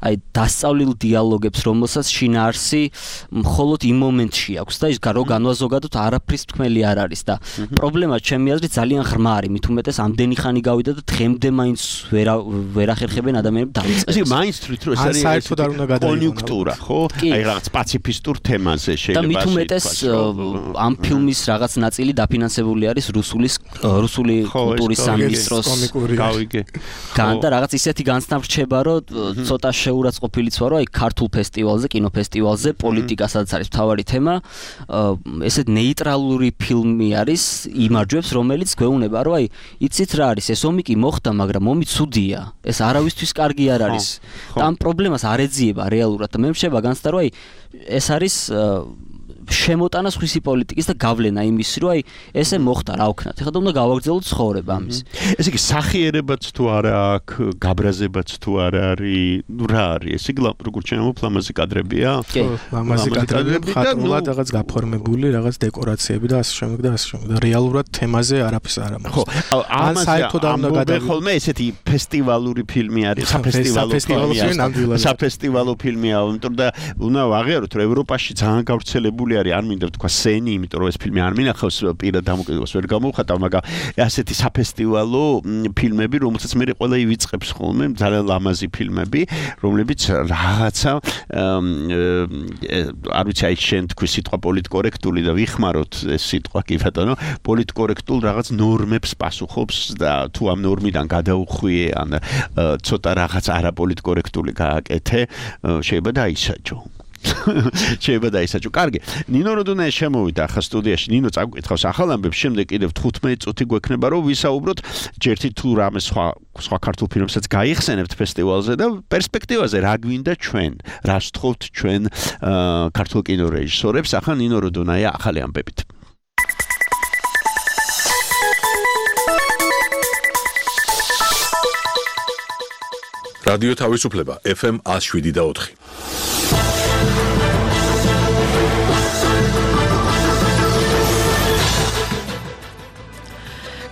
აი დასწავლილ დიალოგებს, რომელსაც შინაარსი მხოლოდ იმ მომენტში აქვს და ის რო განვაზოგადოთ არაფრის თქმელი არ არის და პრობლემა ჩემი აზრით ძალიან ღრმა არის, მით უმეტეს ამდენი ხანი გავიდა და დღემდე მაინც ვერ ახერხებენ ადამიანებს დავიწყეს. ეს მაინც თვით რომ ეს არის კონიუნქტურა, ხო? აი რაღაც პაციფისტურ თემაზე შეიძლება. და მით უმეტეს ამ ფილმის რაღაც ნაწილი დაფინანსებული არის რუსული კულტურის სამინისტროს გავიგე. და რაღაც ისეთი განცდა რჩება, რომ ცოტა შეურაცხყოფილიც ვარო, აი ქართულ ფესტივალზე, კინოფესტივალზე პოლიტიკა სადაც არის მთავარი თემა, ესეთ ნეიტრალური ფილმი არის, იმარჯვებს, რომელიც გვეუბნება, რომ აი, იცით რა არის, ეს ომი კი მოხდა, მაგრამ ომი ცუდია. ეს არავისთვის კარგი არ არის. და ამ პრობლემას არ ეძიება რეალურად და მე მშება განცდა, რომ აი, ეს არის შემოტანა სხვისი პოლიტიკის და გავლენა იმის, რომ აი ესე მოხდა რა ვქნათ. ეხლა უნდა გავაგრძელოთ ცხოვრება ამის. ესე იგი სახიერებაც თუ არა აქვს, გაბრაზებაც თუ არ არის, ნუ რა არის? ესე იგი როგორც ჩემო ლამაზი კადრებია? კი, ლამაზი კადრები, ხატრულად რაღაც გაფორმებული, რაღაც დეკორაციები და ასე შემდეგ და ასე შემდეგ. და რეალურად თემაზე არაფერს არ ამბობს. ხო, ან საერთოდ არ უნდა გადავიდე. ხოლმე ესეთი ფესტივალური ფილმი არის, საფესტივალო ფილმია, იმიტომ და უნდა ვაღიაროთ, რომ ევროპაში ძალიან გავრცელებული არის, არ მინდა თქვა სენი, იმიტომ რომ ეს ფილმი არ მინახავს პირად დამოკიდებულებას ვერ გამოვხატავ, მაგრამ ასეთი საფესტივალო ფილმები, რომელსაც მე ყველა ივიწყებს ხოლმე, ძალიან ლამაზი ფილმები, რომლებიც რაღაცა არ ვიცი, აი შენ თქვი სიტყვა პოლიტკორექტული და ვიხმაროთ ეს სიტყვა კი ბატონო, პოლიტკორექტულ რაღაც ნორმებს პასუხობს და თუ ამ ნორმიდან გადაუხვიე ან ცოტა რაღაც არაპოლიტკორექტული გააკეთე, შეიძლება დაისაჯო. შეიძლება დაისაჯო. კარგი. ნინო როდონაია შემოვიდა ახლა სტუდიაში. ნინო წაგკითხავს ახალ ამბებს, შემდეგ კიდევ 15 წუთი გვექნება, რომ ვისაუბროთ ჯერთი თუ რამე სხვა ქართულ ფილმებსაც გაიხსენებთ ფესტივალზე და პერსპექტივაზე რა გვინდა ჩვენ, რა ვთხოვთ ჩვენ ქართულ კინორეჟისორებს. ახლა ნინო როდონაია ახალი ამბებით. რადიო თავისუფლება FM 107.4.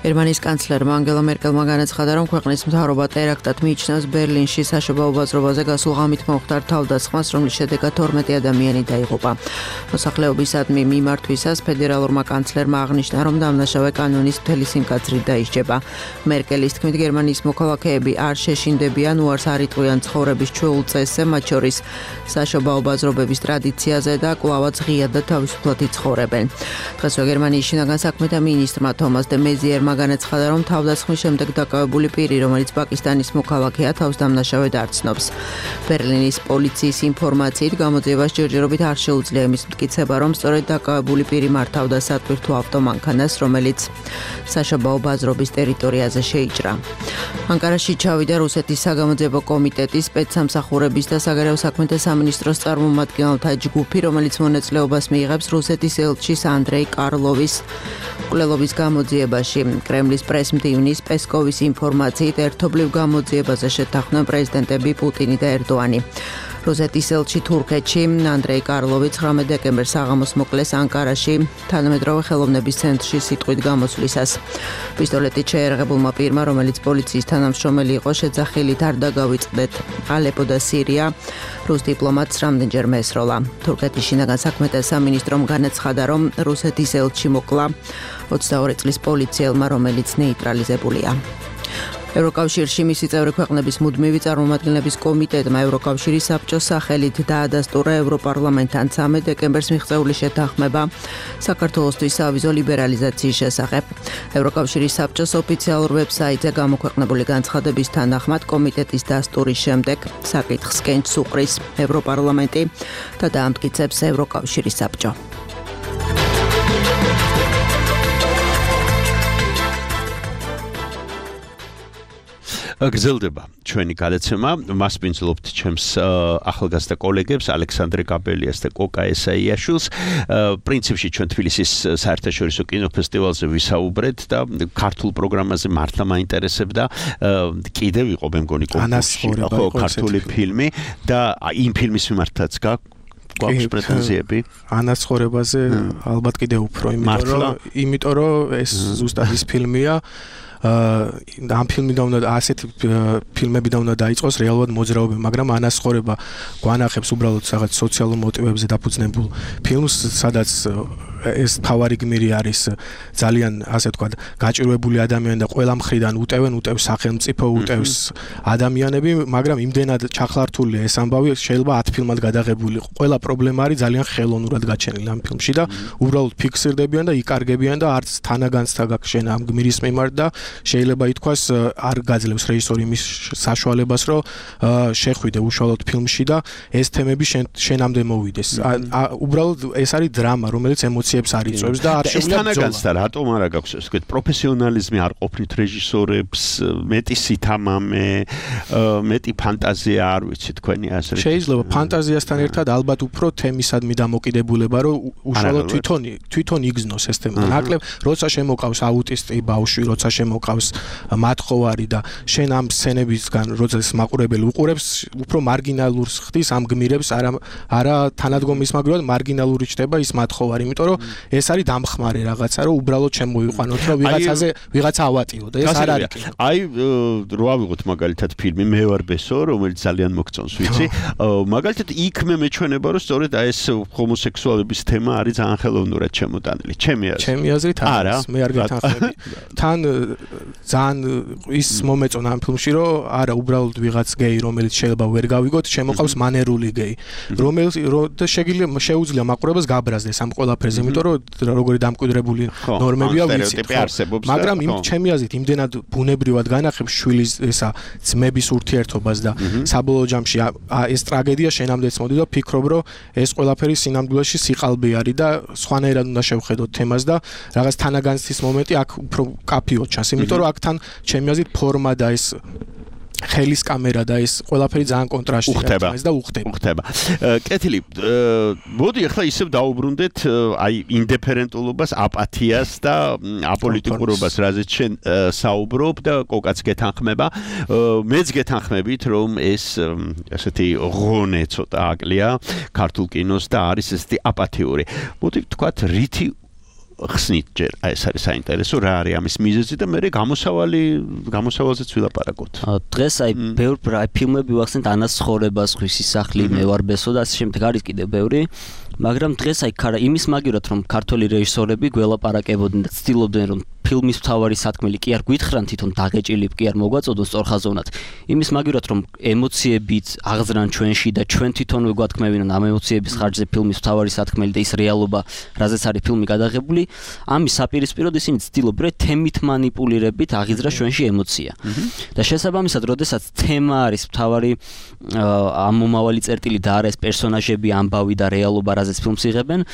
გერმანიის კანცლერმა ანგელა მერკელმა განაცხადა, რომ ქვეყნის მთავრობა ტერაქტად მიიჩნევს ბერლინში საშობაო ბაზრობაზე გასულ ღამით მომხდარ თავდასხმას, რომლის შედეგად 12 ადამიანი დაიღუპა. მოსახლეობისადმი მიმართვისას ფედერალურმა კანცლერმა აღნიშნა, რომ დამნაშავე კანონის მთელი სიმკაცრით დაისჯება. მერკელის თქმით, გერმანიის მოქალაქეები არ შეშინდებიან უარს არ იტყვიან ცხოვრების ჩვეულ წესზე, მათ შორის საშობაო ბაზრობების ტრადიციაზე და კვლავაც ღიად და თავისუფლად იცხოვრებენ. დღესვე გერმანიის შინაგან საქმეთა მინისტრმა თომას დე მეზიერმა განაცხადა, რომ თავდასხმის შემდეგ დაკავებული პირი, რომელიც პაკისტანის მოქალაქეა, თავს დამნაშავედ არ ცნობს. ბერლინის პოლიციის ინფორმაციით გამოძიებას ჯერჯერობით არ შეუძლია იმის მტკიცება, რომ სწორედ დაკავებული პირი მართავდა სატვირთო ავტომანქანას, რომელიც საშობაო ბაზრობის ტერიტორიაზე შეიჭრა. ანკარაში ჩავიდა რუსეთის საგამოძიებო კომიტეტის სპეცსამსახურების და საგარეო საქმეთა სამინისტროს წარმომადგენელთა ჯგუფი, რომელიც მონაწილეობას მიიღებს რუსეთის ელჩის ანდრეი კარლოვის მკვლელობის გამოძიებაში. კრემლის პრესმდივნის პესკოვის ინფორმაციით ერთობლივ გამოძიებაზე შეთანხმდნენ პრეზიდენტები პუტინი და ერდოანი. რუსეთის ელჩი თურქეთში ანდრეი კარლოვი 19 დეკემბერს საღამოს მოკლეს ანკარაში თანამედროვე ხელოვნების ცენტრში სიტყვით გამოსვლისას. პისტოლეტით შეერაღებულმა პირმა, რომელიც პოლიციის თანამშრომელი იყო, შეძახილით არ დაგავიწყდეთ. ალეპო და სირია რუს დიპლომატს რამდენჯერმე ესროლა. თურქეთის შინაგან საქმეთა სამინისტრომ განაცხადა, რომ რუსეთის ელჩი მოკლა 22 წლის პოლიციელმა, რომელიც ნეიტრალიზებულია. ევროკავშირში მისი წევრი ქვეყნების მუდმივი წარმომადგენლების კომიტეტმა ევროკავშირის საბჭოს სახელით დაადასტურა ევროპარლამენტთან 13 დეკემბერს მიღწეული შეთანხმება საქართველოსთვის სავიზო ლიბერალიზაციის შესახებ. ევროკავშირის საბჭოს ოფიციალურ ვებსაიტზე გამოქვეყნებული განცხადების თანახმად კომიტეტის დასტურის შემდეგ საკითხს კენჭს უყრის ევროპარლამენტი და დაამტკიცებს ევროკავშირის საბჭო. გრძელდება ჩვენი გადაცემა. მას ვინძლობთ ჩემს ახალგაზრდა კოლეგებს ალექსანდრე გაბელიას და კოკა ესაიაშვილს. პრინციპში ჩვენ თბილისის საერთაშორისო კინოფესტივალზე ვისაუბრეთ და ქართულ პროგრამაზე მართლა მაინტერესებდა. კიდევ იყო მე მგონი კონკურსში ქართული ფილმი და იმ ფილმის მიმართაც გვაქვს პრეტენზიები. ანაცხოვრებაზე ალბათ კიდევ უფრო, იმიტომ რომ ეს ზუსტად ის ფილმია. ამ ფილმიდან უნდა ასეთი ფილმებიდან უნდა დაიწყოს რეალურად მოძრაობა, მაგრამ ანაცხოვრება გვანახებს უბრალოდ რაღაც სოციალურ მოტივებზე დაფუძნებულ ფილმს, სადაც ეს თავარი გმირი არის ძალიან ასე ვთქვათ გაჭირვებული ადამიანი და ყველა მხრიდან უტევს სახელმწიფო, უტევს ადამიანები, მაგრამ იმდენად ჩახლართულია ეს ამბავი, შეიძლება 10 ფილმად გადაღებული იყო. ყველა პრობლემა არის ძალიან ხელოვნურად გაჩენილი ამ ფილმში და უბრალოდ ფიქსირდებიან და იკარგებიან და არც თანაგანცდა გაქვს შენ ამ გმირის მიმართ და შეიძლება ითქვას არ გაძლევს რეჟისორი მის საშუალებას, რომ შეხვიდე უშუალოდ ფილმში და ეს თემები შენამდე მოვიდეს. უბრალოდ ეს არის დრამა, რომელიც ემოციებს არიწევს და არ შეუძლია ბრძოლა. თანაგანცდა რატომ არა გაქვს ეს პროფესიონალიზმი არ ყოფნით რეჟისორებს, მეტი სითამამე, მეტი ფანტაზია, არ ვიცი თქვენი აზრით. შეიძლება ფანტაზიასთან ერთად ალბათ უფრო თემისადმი დამოკიდებულება, რომ უშუალოდ თვითონ იგზნოს ეს თემა. ნაკლებ როცა შემოყავს აუტისტი ბავშვი, როცა შემოყავს მათხოვარი და შენ ამ სცენებისგან როდესაც მაყურებელი უყურებს, უფრო მარგინალურს ხდის ამ გმირებს, არა თანადგომის მაგრამ მარგინალური ჩდება ის მათხოვარი, იმიტომ რომ ეს არის დამხმარე რაღაცა, რომ უბრალოდ შემოიყვანოთ, რომ ვიღაცა ავატიო და ეს არ არის. აი რო ავიღოთ მაგალითად ფილმი მე ვარ ბესო, რომელიც ძალიან მოგწონს, ვიცი. მაგალითად იქ მე მეჩვენება, რომ სწორედ აი ეს ჰომოსექსუალების თემა არის ძალიან ხელოვნურად შემოტანილი. ჩემი აზრით არა, მე არ გეთანხმები. თან ძალიან ის მომეწონა ამ ფილმში, რომ არა უბრალოდ ვიღაც გეი, რომელიც შეიძლება ვერ გავიგოთ, შემოყავს მანერული გეი, რომელიც შეუძლია მაყურებელს გაბრაზდეს ამ ყველაფერზე, იმიტომ რომ როგორი დამკვიდრებული ნორმებია ვიცით, მაგრამ ჩემი აზრით იმდენად ბუნებრივად განახებს შვილის ესა ძმების ურთიერთობას და საბოლოო ჯამში ეს ტრაგედია შენამდეც მოდი და ფიქრობ, რომ ეს ყველაფერი სინამდვილეში სიყალბე არის და სხვანაირად უნდა შევხედოთ თემას და რაღაც თანაგანცდის მომენტი აქ უფრო კაფიოდ ჩანს, იმიტომ რომ აქთან ჩემი აზრით ფორმა და ეს ხელის კამერა და ეს ყველაფერი ძალიან კონტრასტია და უხდება. კეთილი, მოდი ახლა ისევ დაუბრუნდეთ აი ინდიფერენტულობას, აპათიას და აპოლიტიკურობას, რაზეც შენ საუბრობ და კოკაც გეთანხმება. მეც გეთანხმებით, რომ ეს ასეთი ღონე ცოტა აკლია ქართულ კინოს და არის ესეთი აპათიური. მოდი ვთქვათ, რითი ხსნით ჯერ ეს არის საინტერესო რა არის ამის მიზეზი და მე გამოსავალზეც ვილაპარაკოთ. დღეს აი ბევრი ფილმები ვახსენეთ ანაცხოვრება, სხვისი სახლი, მე ვარ ბესო და ასე შემდეგ არის კიდევ ბევრი, მაგრამ დღეს აი იმის მაგივრად რომ ქართული რეჟისორები გველაპარაკებოდნენ და ცდილობდნენ რომ ფილმის მთავარი სათქმელი კი არ გვითხრან თვითონ დაგეჭილი კი არ მოგვაწოდოს სწორხაზოვნად. იმის მაგივრად რომ ემოციებით აღზრან ჩვენში და ჩვენ თვითონვე გვათქმევინონ ამ ემოციების ხარჯზე ფილმის მთავარი სათქმელი და ის რეალობა, რაზეც არის ფილმი გადაღებული, ამის საპირისპიროდ ისინი ცდილობდნენ თემით მანიპულირებით აღიძრას ჩვენში ემოცია. და შესაბამისად, როდესაც თემა არის მთავარი ამ მომავალი წერტილი და არა ეს პერსონაჟები, ამბავი და რეალობა, რაზეც ფილმს იღებენ,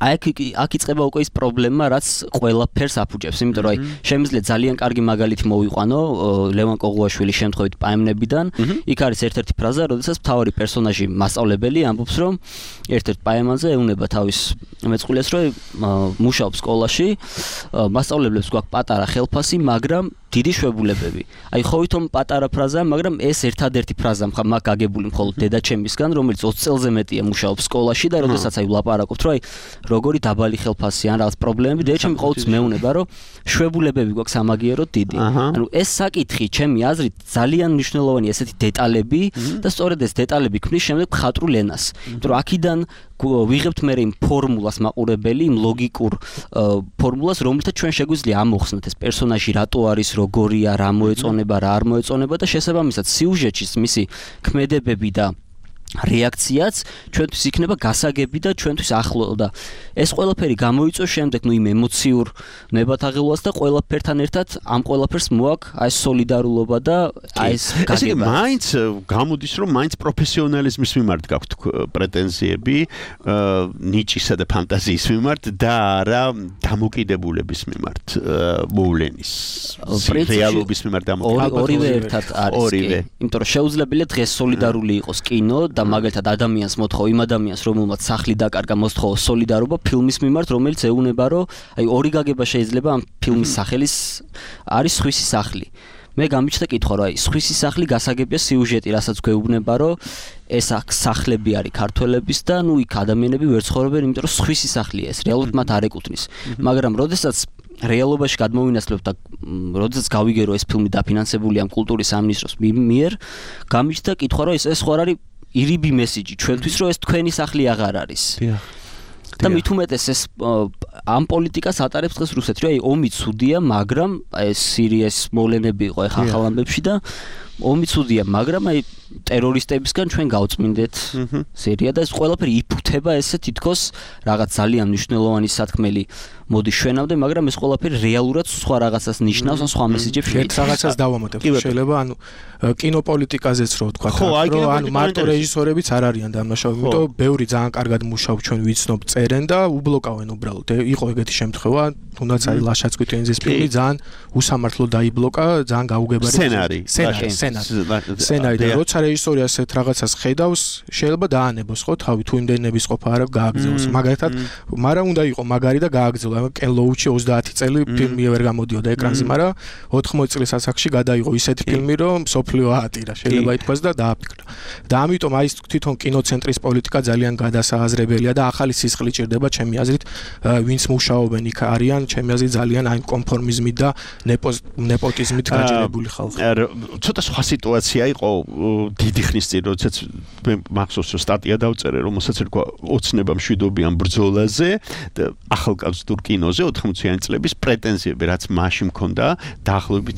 აქ იწყება უკვე ის პრობლემა, რაც ყველაფერს აფუჭებს, იმიტომ რომ შემიძლია ძალიან კარგი მაგალითი მოვიყვანო ლევან კოღუაშვილის შემთხვევით პაემნებიდან. იქ არის ერთ-ერთი ფრაზა, როდესაც მთავარი პერსონაჟი მასწავლებელი ამბობს, რომ ერთ-ერთ პაემანზე ეუნება თავის მეწყვილეს, რომ მუშაობს სკოლაში, მასწავლებლებს გვაქვს პატარა ხელფასი, მაგრამ დიდი შვებულებები. აი ხო ვითომ პატარა ფრაზა, მაგრამ ეს ერთადერთი ფრაზა მაგ გაგებული მხოლოდ დედაჩემისგან, რომელიც 20 წელზე მეტია მუშაობს სკოლაში და როდესაც აი ვლაპარაკობთ, რომ აი როგორი დაბალი ხელფასი ან რაღაც პრობლემები, დედაჩემი ყოველთვის მეუნება, რომ შვებულებები გვაქვს სამაგიეროდ დიდი. ანუ ეს საკითხი, ჩემი აზრით, ძალიან მნიშვნელოვანია ესეთი დეტალები და სწორედ ეს დეტალები ქმნის შემდეგ მხატვრულ ენას. იმიტომ რომ აქიდან ვიღებთ მე იმ ფორმულას მაყურებელი, იმ ლოგიკურ ფორმულას, რომელთაც ჩვენ შეგვიძლია ამოხსნათ ეს პერსონაჟი რატო არის, როგორია, რა მოეწონება, რა არ მოეწონება და შესაბამისად სიუჟეტში მისი ქმედებები და რეაქციაც ჩვენთვის იქნება გასაგები და ჩვენთვის ახლო და ეს ყველაფერი გამოიწვევს შემდეგ იმ ემოციურ ნებათაღელვას და ყველაფერთან ერთად ამ ყველაფერს მოაქვს აი ეს სოლიდარულობა და აი ეს გაგება. მაინც გამოდის რომ მაინც პროფესიონალიზმის მიმართ გაქვთ პრეტენზიები ნიჭისა და ფანტაზიის მიმართ და არა დამოკიდებულების მიმართ მოვლენის რეალობის მიმართ დამოკიდებულების. ორივე ერთად არის. იმიტომ რომ შეუძლებელია დღეს სოლიდარული იყოს კინო და მაგალითად ადამიანს მოთხოვ იმ ადამიანს რომელმაც სახლი დაკარგა მოსთხოვო სოლიდარობა ფილმის მიმართ რომელიც ეუნება რომ აი ორი გაგება შეიძლება ამ ფილმის სახელის არის სხვისი სახლი მე გამიჩნდა კითხვა რომ აი სხვისი სახლი გასაგებია სიუჟეტი რასაც გვეუბნება რომ ეს სახლები არის ქართველების და ნუ იქ ადამიანები ვერ ცხოვრობენ იმიტომ რომ სხვისი სახლია ეს რეალურად მათ არ ეკუთვნის მაგრამ როდესაც რეალობაში გადმოვინაცვლებთ და როდესაც გავიგე რომ ეს ფილმი დაფინანსებულია ამ კულტურის სამინისტროს მიერ გამიჩნდა კითხვა რომ ეს ხო არის ირიბი მესიჯი ჩვენთვის რომ ეს თქვენი სახლი აღარ არის. და მით უმეტეს ეს ამ პოლიტიკას ატარებს დღეს რუსეთი. აი ომი ცუდია, მაგრამ აი სირიის მოვლენები იყო ახლა ახალ ამბებში და ომი ცუდია, მაგრამ აი ტერორისტებისგან ჩვენ გავწმინდეთ სირია და ეს ყველაფერი იფუთება ესე თითქოს რაღაც ძალიან მნიშვნელოვანი სათქმელი მოდის ჩვენამდე, მაგრამ ეს ყველაფერი რეალურად სხვა რაღაცას ნიშნავს, ან სხვა მესიჯებს ერთ რაღაცას დავამატებ. შეიძლება ანუ კინოპოლიტიკაზეც რო ვთქვა, რომ ანუ მარტო რეჟისორებიც არ არიან დამნაშავე, იმიტომ რომ ბევრი ძალიან კარგად მუშაობს ჩვენ ვიცნობ წერენ და უბლოკავენ უბრალოდ. იყო ეგეთი შემთხვევა, თუნდაც არის ლაშა-ცკვიტენძის ფილმი ძალიან უსამართლო დაიბლოკა, ძალიან გაუგებარი სცენარი და როცა რეჟისორი ასეთ რაღაცას ხედავს, შეიძლება დაანებოს ხო თავი თუ იმდენების ყოფა არა გააგზავნოს. მაგალითად, მაგრამ უნდა იყო მაგარი და გააგზავნოს. კენ ლოუჩი 30 წელი ფილმი ვერ გამოდიოდა ეკრანზე, მაგრამ 80 წლის ასაკში გადაიღო ისეთი ფილმი, რომ სოფლიო აატირა, შეიძლება ითქვას და დააფიქრა. და ამიტომ აი თვითონ კინოცენტრის პოლიტიკა ძალიან გადასააზრებელია და ახალი სისხლი ჭირდება ჩემი აზრით, ვინც მუშაობენ იქ არიან, ჩემი აზრით ძალიან აი კონფორმიზმით და ნეპოტიზმით გაჭირებული ხალხი. ცოტა სხვა სიტუაცია იყო დიდი ხნის წინ, როდესაც მე მახსოვს რომ სტატია დავწერე, რომელსაც ერქვა ოცნება მშვიდობიან ბრძოლაზე და ახალგაზრდულ კინოზე 80-იანი წლების პრეტენზიები, რაც მაშინ მქონდა, დაახლოებით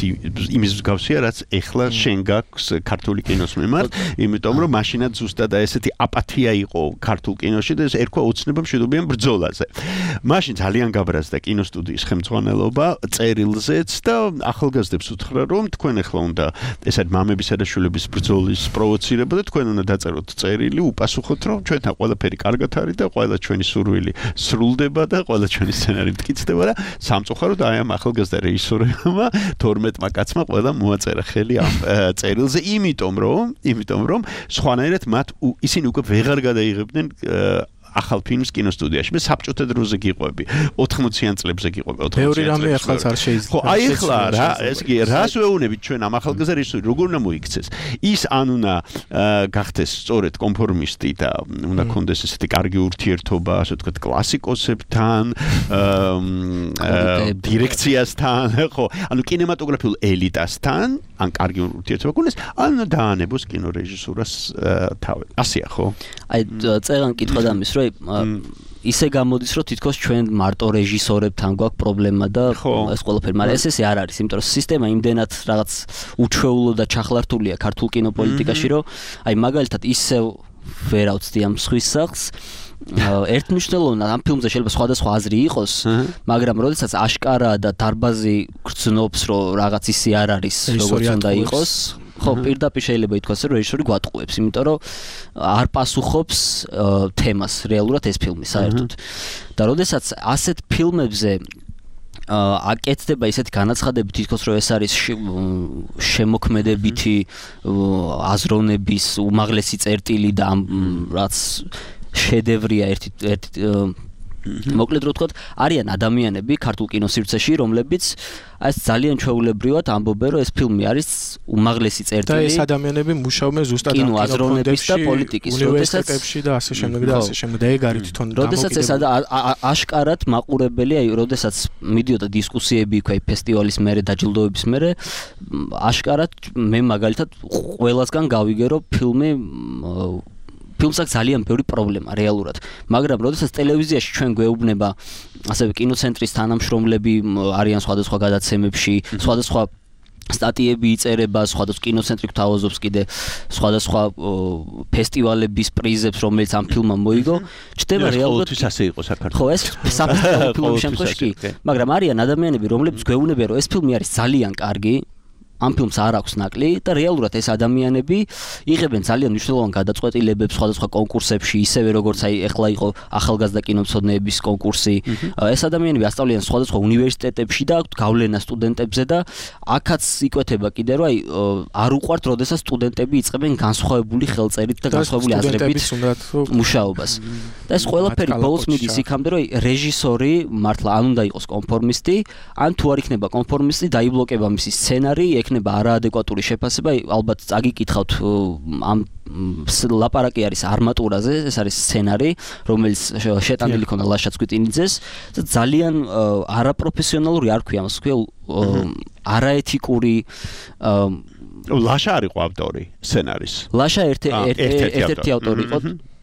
იმის მსგავსია, რაც ეხლა შენ გაქვს ქართული კინოს მიმართ, იმიტომ რომ მაშინაც ზუსტად ესეთი აპათია იყო ქართულ კინოში და ეს ერქვა ოცნება მშვიდობიან ბრძოლაზე. მაშინ ძალიან გაბრაზდა კინოსტუდიის ხელმძღვანელობა წერილზეც და ახალგაზრდებს უთხრა, რომ თქვენ ეხლა უნდა ეს არის მამებისა და შვილების ბრძოლის პროვოცირება და თქვენ უნდა დაწეროთ წერილი, უპასუხოთ, რომ ჩვენთან ყველაფერი კარგად არის და ყველა ჩვენი სურვილი სრულდება და ყველა ჩვენი სცენარი მტკიცდება და სამწუხაროდ აი ამ ახალგაზრდა რეჟისორებმა 12-მა კაცმა ყველა მოაწერა ხელი ამ წერილზე, იმიტომ რომ სხვანაირად მათ ისინი უკვე ვეღარ გადაიღებდნენ ახალ ფილმს კინოსტუდიაში. მე საბჭოთა დროზე გიყვები, 80-იან წლებზე გიყვები, 80-იან. ბევრი რამე ახალც არ შეიძლება. ხო, აი ახლა რა, ეს კი რას ვეუბნებით ჩვენ ამ ახალგაზრდა რეჟისორი, როგორ უნდა მოიქცეს? ის ან უნდა გახდეს სწორედ კონფორმისტი და უნდა კონდეს ესეთი კარგი ურთიერთობა, ასე ვთქვათ, კლასიკოსებთან, დირექციასთან, ხო, ანუ კინემატოგრაფიულ ელიტასთან, ან კარგი ურთიერთობა კონდეს, ან უნდა დაანებოს კინორეჟისურას თავი. ასეა, ხო? აი წერან კითხვა დამის რომ ისე გამოდის რომ თითქოს ჩვენ მარტო რეჟისორებთან გვაქვს პრობლემა და ეს ყველაფერი, მაგრამ ესე არ არის, იმიტომ რომ სისტემა იმდენად რაღაც უჩვეულო და ჩახლართულია ქართულ კინოპოლიტიკაში, რომ აი მაგალითად ისე ვერ ავწდი ამ სხვის სახლს ერთმნიშვნელოვნად ამ ფილმზე შეიძლება სხვადასხვა აზრი იყოს, მაგრამ როდესაც აშკარაა და დარბაზი გრძნობს, რომ რაღაც ისე არ არის, როგორც უნდა იყოს, ხო, პირდაპირ შეიძლება ითქვას, რომ რეჟისორი გვატყუებს, იმიტომ რომ არ პასუხობს თემას რეალურად ეს ფილმი საერთოდ. და როდესაც ასეთ ფილმებზე აკეთდება ისეთი განაცხადები თითქოს რომ ეს არის შემოქმედებითი აზროვნების უმაღლესი წერტილი და რაც შედევრია ერთი მოკლედ რო ვთქვათ, არიან ადამიანები ქართულ კინოსივრცეში, რომლებიც აი ეს ძალიან ჩვეულებრივად ამბობენ, რომ ეს φιλმი არის უმაღლესი წერტილი. და ეს ადამიანები მუშაობენ ზუსტად კინო აზროვნების და პოლიტიკის, უნივერსიტეტებში და ასე შემდეგ და ასე შემდეგ და ეგ არის თვითონ დამოკიდებული. როდესაც ეს აშკარად მაყურებელი, აი როდესაც მიდიოდა დისკუსიები იქ აი ფესტივალის მერე დაჯილდოების მერე, აშკარად მე მაგალითად ყველასგან გავიგე, რომ ფილმს აქვს ძალიან ბევრი პრობლემა რეალურად, მაგრამ როდესაც ტელევიზიაში ჩვენ გვეუბნება ასევე კინოცენტრის თანამშრომლები არიან სხვადასხვა გადაცემებში, სხვადასხვა სტატიები იწერება, სხვადასხვა კინოცენტრი გვთავაზობს კიდე სხვადასხვა ფესტივალების პრიზებს, რომელიც ამ ფილმმა მოიგო, ჩდება რეალურად ასე იყო საქართველოს. ხო, ეს საფესტივალო ფილმის შემთხვევაში კი, მაგრამ არიან ადამიანები, რომლებიც გვეუბნებიან, რომ ეს ფილმი არის ძალიან კარგი, ამ ფილმს არ აქვს ნაკლი და რეალურად ეს ადამიანები იღებენ ძალიან მნიშვნელოვან გადაწყვეტილებებს სხვადასხვა კონკურსებში, ისევე როგორც აი ეხლა იყო ახალგაზრდა კინომცოდნეების კონკურსი. ეს ადამიანები ასწავლიან სხვადასხვა უნივერსიტეტებში და აქვთ გავლენა სტუდენტებზე და აქაც იკვეთება კიდე რომ აი არ უყვართ, როდესაც სტუდენტები იწყებენ განსხვავებული ხელწერით და განსხვავებული აზრებით მუშაობას. და ეს ყველაფერი ბოლოს მიდის იქამდე, რომ რეჟისორი მართლა ან უნდა იყოს კონფორმისტი, ან თუ არ იქნება კონფორმისტი, დაიბლოკება მისი სცენარი, ექნება არაადეკვატური შეფასება, ალბათ წაგიკითხავთ ამ ლაპარაკი არის არმატურაზე, ეს არის სცენარი, რომელიც შეტანილი ქონდა ლაშა ცგვიტინიძეს და ძალიან არაპროფესიონალური არ ქვია, მას ქვია არაეთიკური ლაშა არ იყო ავტორი სცენარის. ლაშა ერთ-ერთი ავტორი იყო,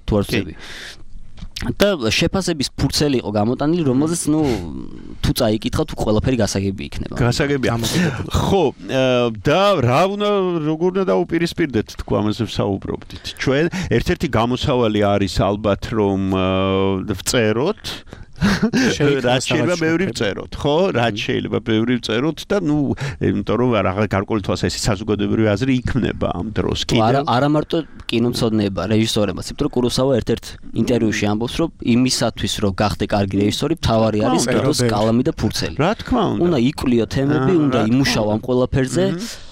თუ არ ვცდები. და შეფასების ფურცელი იყო გამოტანილი, რომელზეც თუ წაიკითხავთ, ყველაფერი გასაგები იქნება. გასაგები. ხო, და როგორ უნდა დაუპირისპირდეთ თქვა ამაზე ვსაუბრობდით. ჩვენ ერთ-ერთი გამოსავალი არის ალბათ რომ ვწეროთ რაც შეიძლება ბევრი ვწეროთ, ხო? რაც შეიძლება ბევრი ვწეროთ და იმიტომ რომ რაღაც გარკვეული თვალსაზრისით საზოგადოებრივი აზრი იქმნება ამ დროს კიდევ. არა მარტო კინომცოდნეება, რეჟისორებმაც, იმიტომ რომ კუროსავა ერთ-ერთ ინტერვიუში ამბობს, რომ იმისათვის რომ გახდე კარგი რეჟისორი, მთავარი არის კინოს კალამი და ფურცელი. რა თქმა უნდა. უნდა იკვლიო თემები, უნდა იმუშაო ამ ყველაფერზე,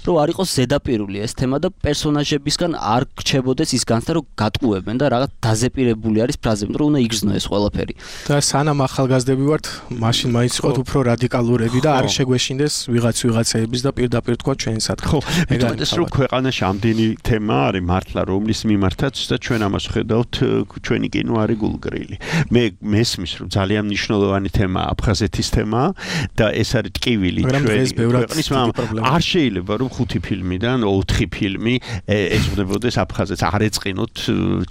რომ არ იყოს ზედაპირული ეს თემა და პერსონაჟებისგან არ გრჩებოდეს ის განცდა, რომ გატყუებენ და რაღაც დაზეპირებული არის ფრაზები, რომ უნდა იგრძნო ეს ყველაფერი. და სანამ ახალგაზრდები ვართ, მაშინ მაინც იყოთ უფრო რადიკალურები და არ შეგვეშინდეს ვიღაცების და პირდაპირ თქვა ჩვენსად. ხო, მეტყვი რომ ქვეყანაში ამდენი თემა არის მართლა, რომლის მიმართაც და ჩვენ ამას ხედავთ, ჩვენი კინო არის გულგრილი. მე მესმის რომ ძალიან მნიშვნელოვანი თემაა აფხაზეთის თემა და ეს არის ტკივილი ჩვენი ქვეყნის, მაგრამ არ შეიძლება რომ 5 ფილმიდან 4 ფილმი ეძღვნებოდეს აფხაზეთს, არ ეწყინოთ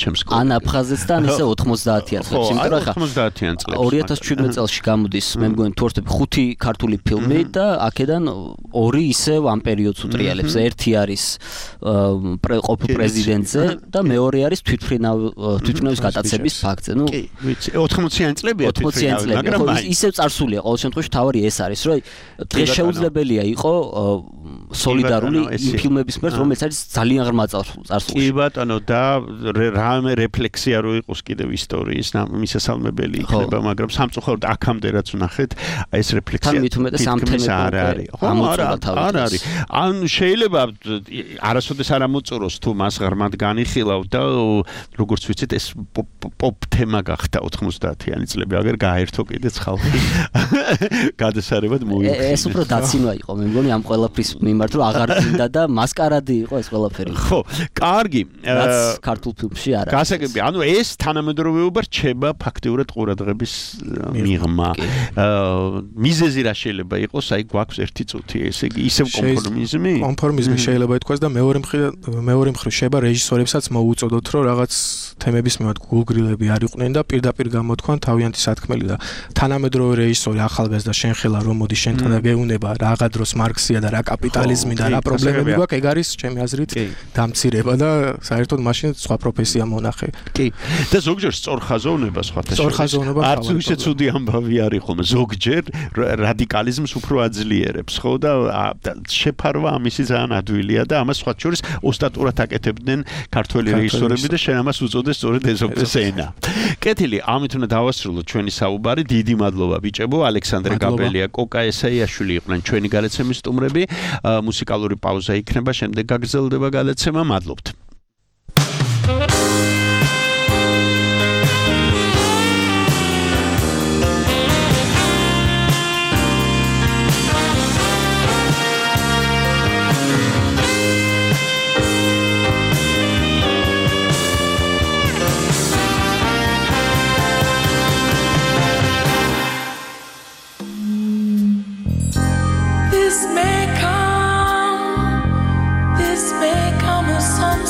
ჩემს კოლეგებს. ან აფხაზეთსთან ისე 90-იან წლებში, იმიტომ რომ 90-იან წლებში 2017 წელს გამოდის, მე მგონი თუ არ ვთქვი 5 ქართული ფილმი და აქედან 2 ისევ ამ პერიოდს უტრიალებს. ერთი არის ყოფილ პრეზიდენტზე და მეორე არის თვითმფრინავის გატაცების ფაქტზე. კი, ვიცი, 80-იან წლებია თვითმფრინავი, მაგრამ ისევ წარსულია. ყოველ შემთხვევაში თავარი ეს არის, რომ დღეს შეუძლებელია იყო სოლიდარული იმ ფილმების მიერ, რომელიც არის ძალიან ღრმა წარსულში. კი ბატონო, და რამე რეფლექსია რო იყოს კიდევ ისტორიის მისასალმებელი იქნება, მაგრამ სამწუხაროდ აქამდე რაც ვნახეთ, ეს რეფლექსია თითქმის არ არის. არ არის. ან შეიძლება არასოდეს არ ამოწუროს თუ მას ღრმად განიხილავ და როგორც ვიცით, ეს პოპ თემა გახდა 90-იანი წლები, აგერ გაერთო კიდეც ხალხი. გადასარევად მოიქცა. ეს უფრო დაცინვა იყო, მე მგონი ამ ყველაფრის მიმართ, რომ აღარ გინდა და მასკარადი იყო ეს ყველაფერი. ხო, კარგი. რაც ქართულ ფილმში არ არის. გასაგები, ანუ ეს თანამედროვეობა რჩება ფაქტიურად ყურადღების მიღმა. მიზეზი რა შეიძლება იყოს, აი გვაქვს 1 წუთი, ესე იგი ისევ კონფორმიზმი? კონფორმიზმი შეიძლება ითქვას და მეორე მხრივ შეიძლება რეჟისორებსაც მოუწოდოთ, რომ რაღაც თემების მიმართ გულგრილები არ იყვნენ და პირდაპირ გამოთქვან თავიანთი სათქმელი და თანამედროვე რეჟისორი ახალგაზრდა შენ ხელა რომ მოდი შენთან და გეუნება რაღა დროს მარქსია და რა კაპიტალიზმი კაპიტალიზმი და რა პრობლემები გვაქვს, ეგ არის ჩემი აზრით დამცირება და საერთოდ მაშინ სხვა პროფესია მონახე. კი. და ზოგჯერ სწორხაზოვნება სხვათა შორის. არც ისე ცუდი ამბავი არის ხოლმე. ზოგჯერ რადიკალიზმს უფრო აძლიერებს, ხო და შეფარვა ამისი ძალიან ადვილია და ამას სხვათა შორის ოსტატურად აკეთებდნენ ქართველი რეჟისორები და შენ ამას უწოდე სწორედ ეზოპეს ენა. კეთილი, ამით უნდა დავასრულოთ ჩვენი საუბარი. დიდი მადლობა ბიჭებო, ალექსანდრე გაბელია, კოკა ესაიაშვილი იყვნენ ჩვენი გადაცემის სტუმრები. მუსიკალური პაუზა იქნება, შემდეგ გაგრძელდება გადაცემა. მადლობთ. This may come as some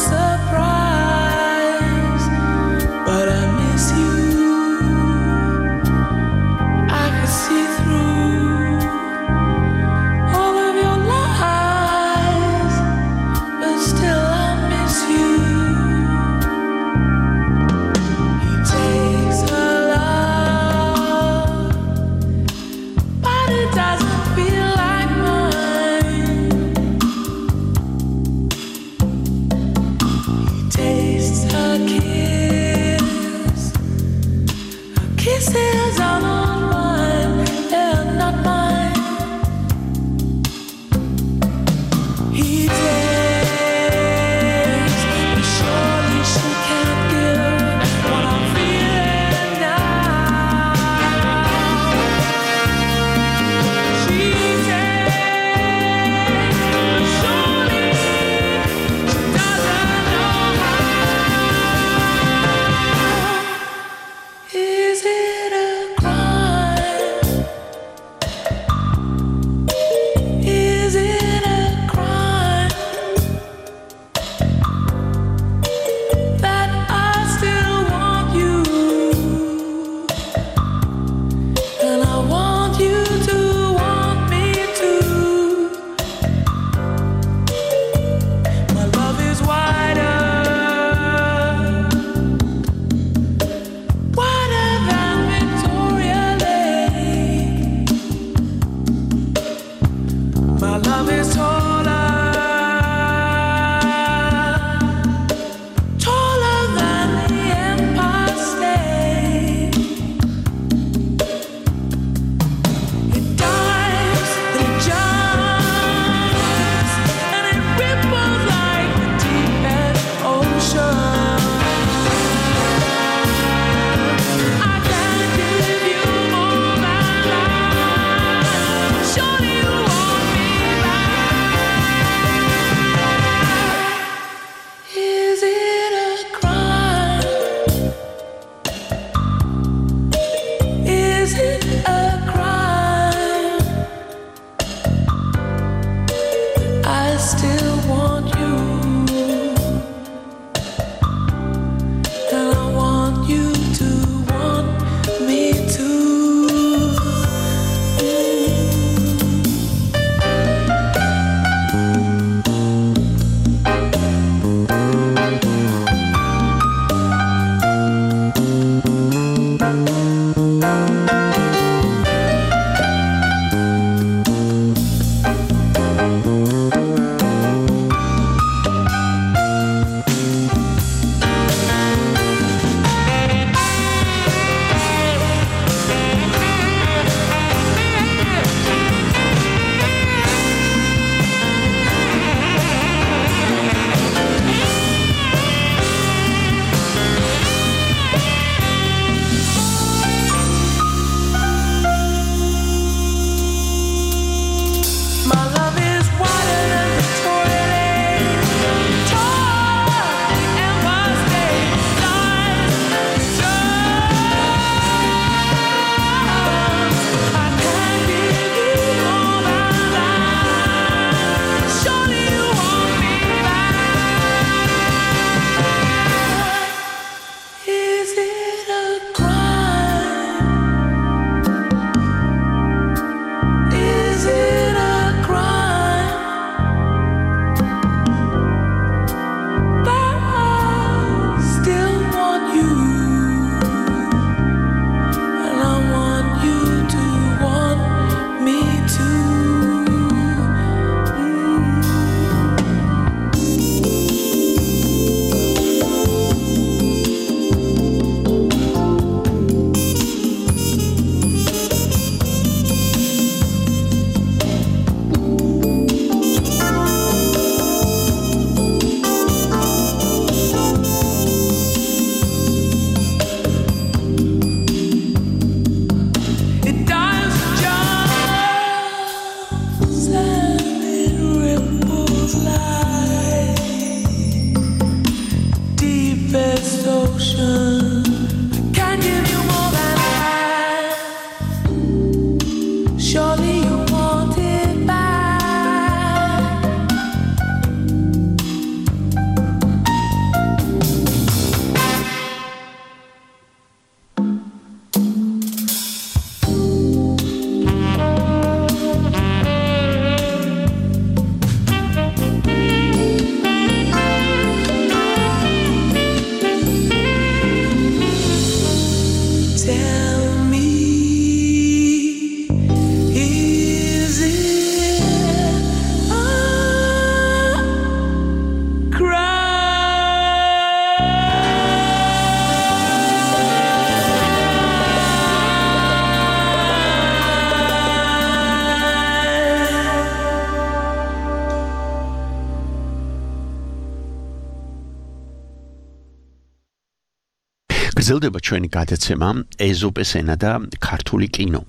გრძელდება ჩვენი გადაცემა ეზოპეს ენა და ქართული კინო.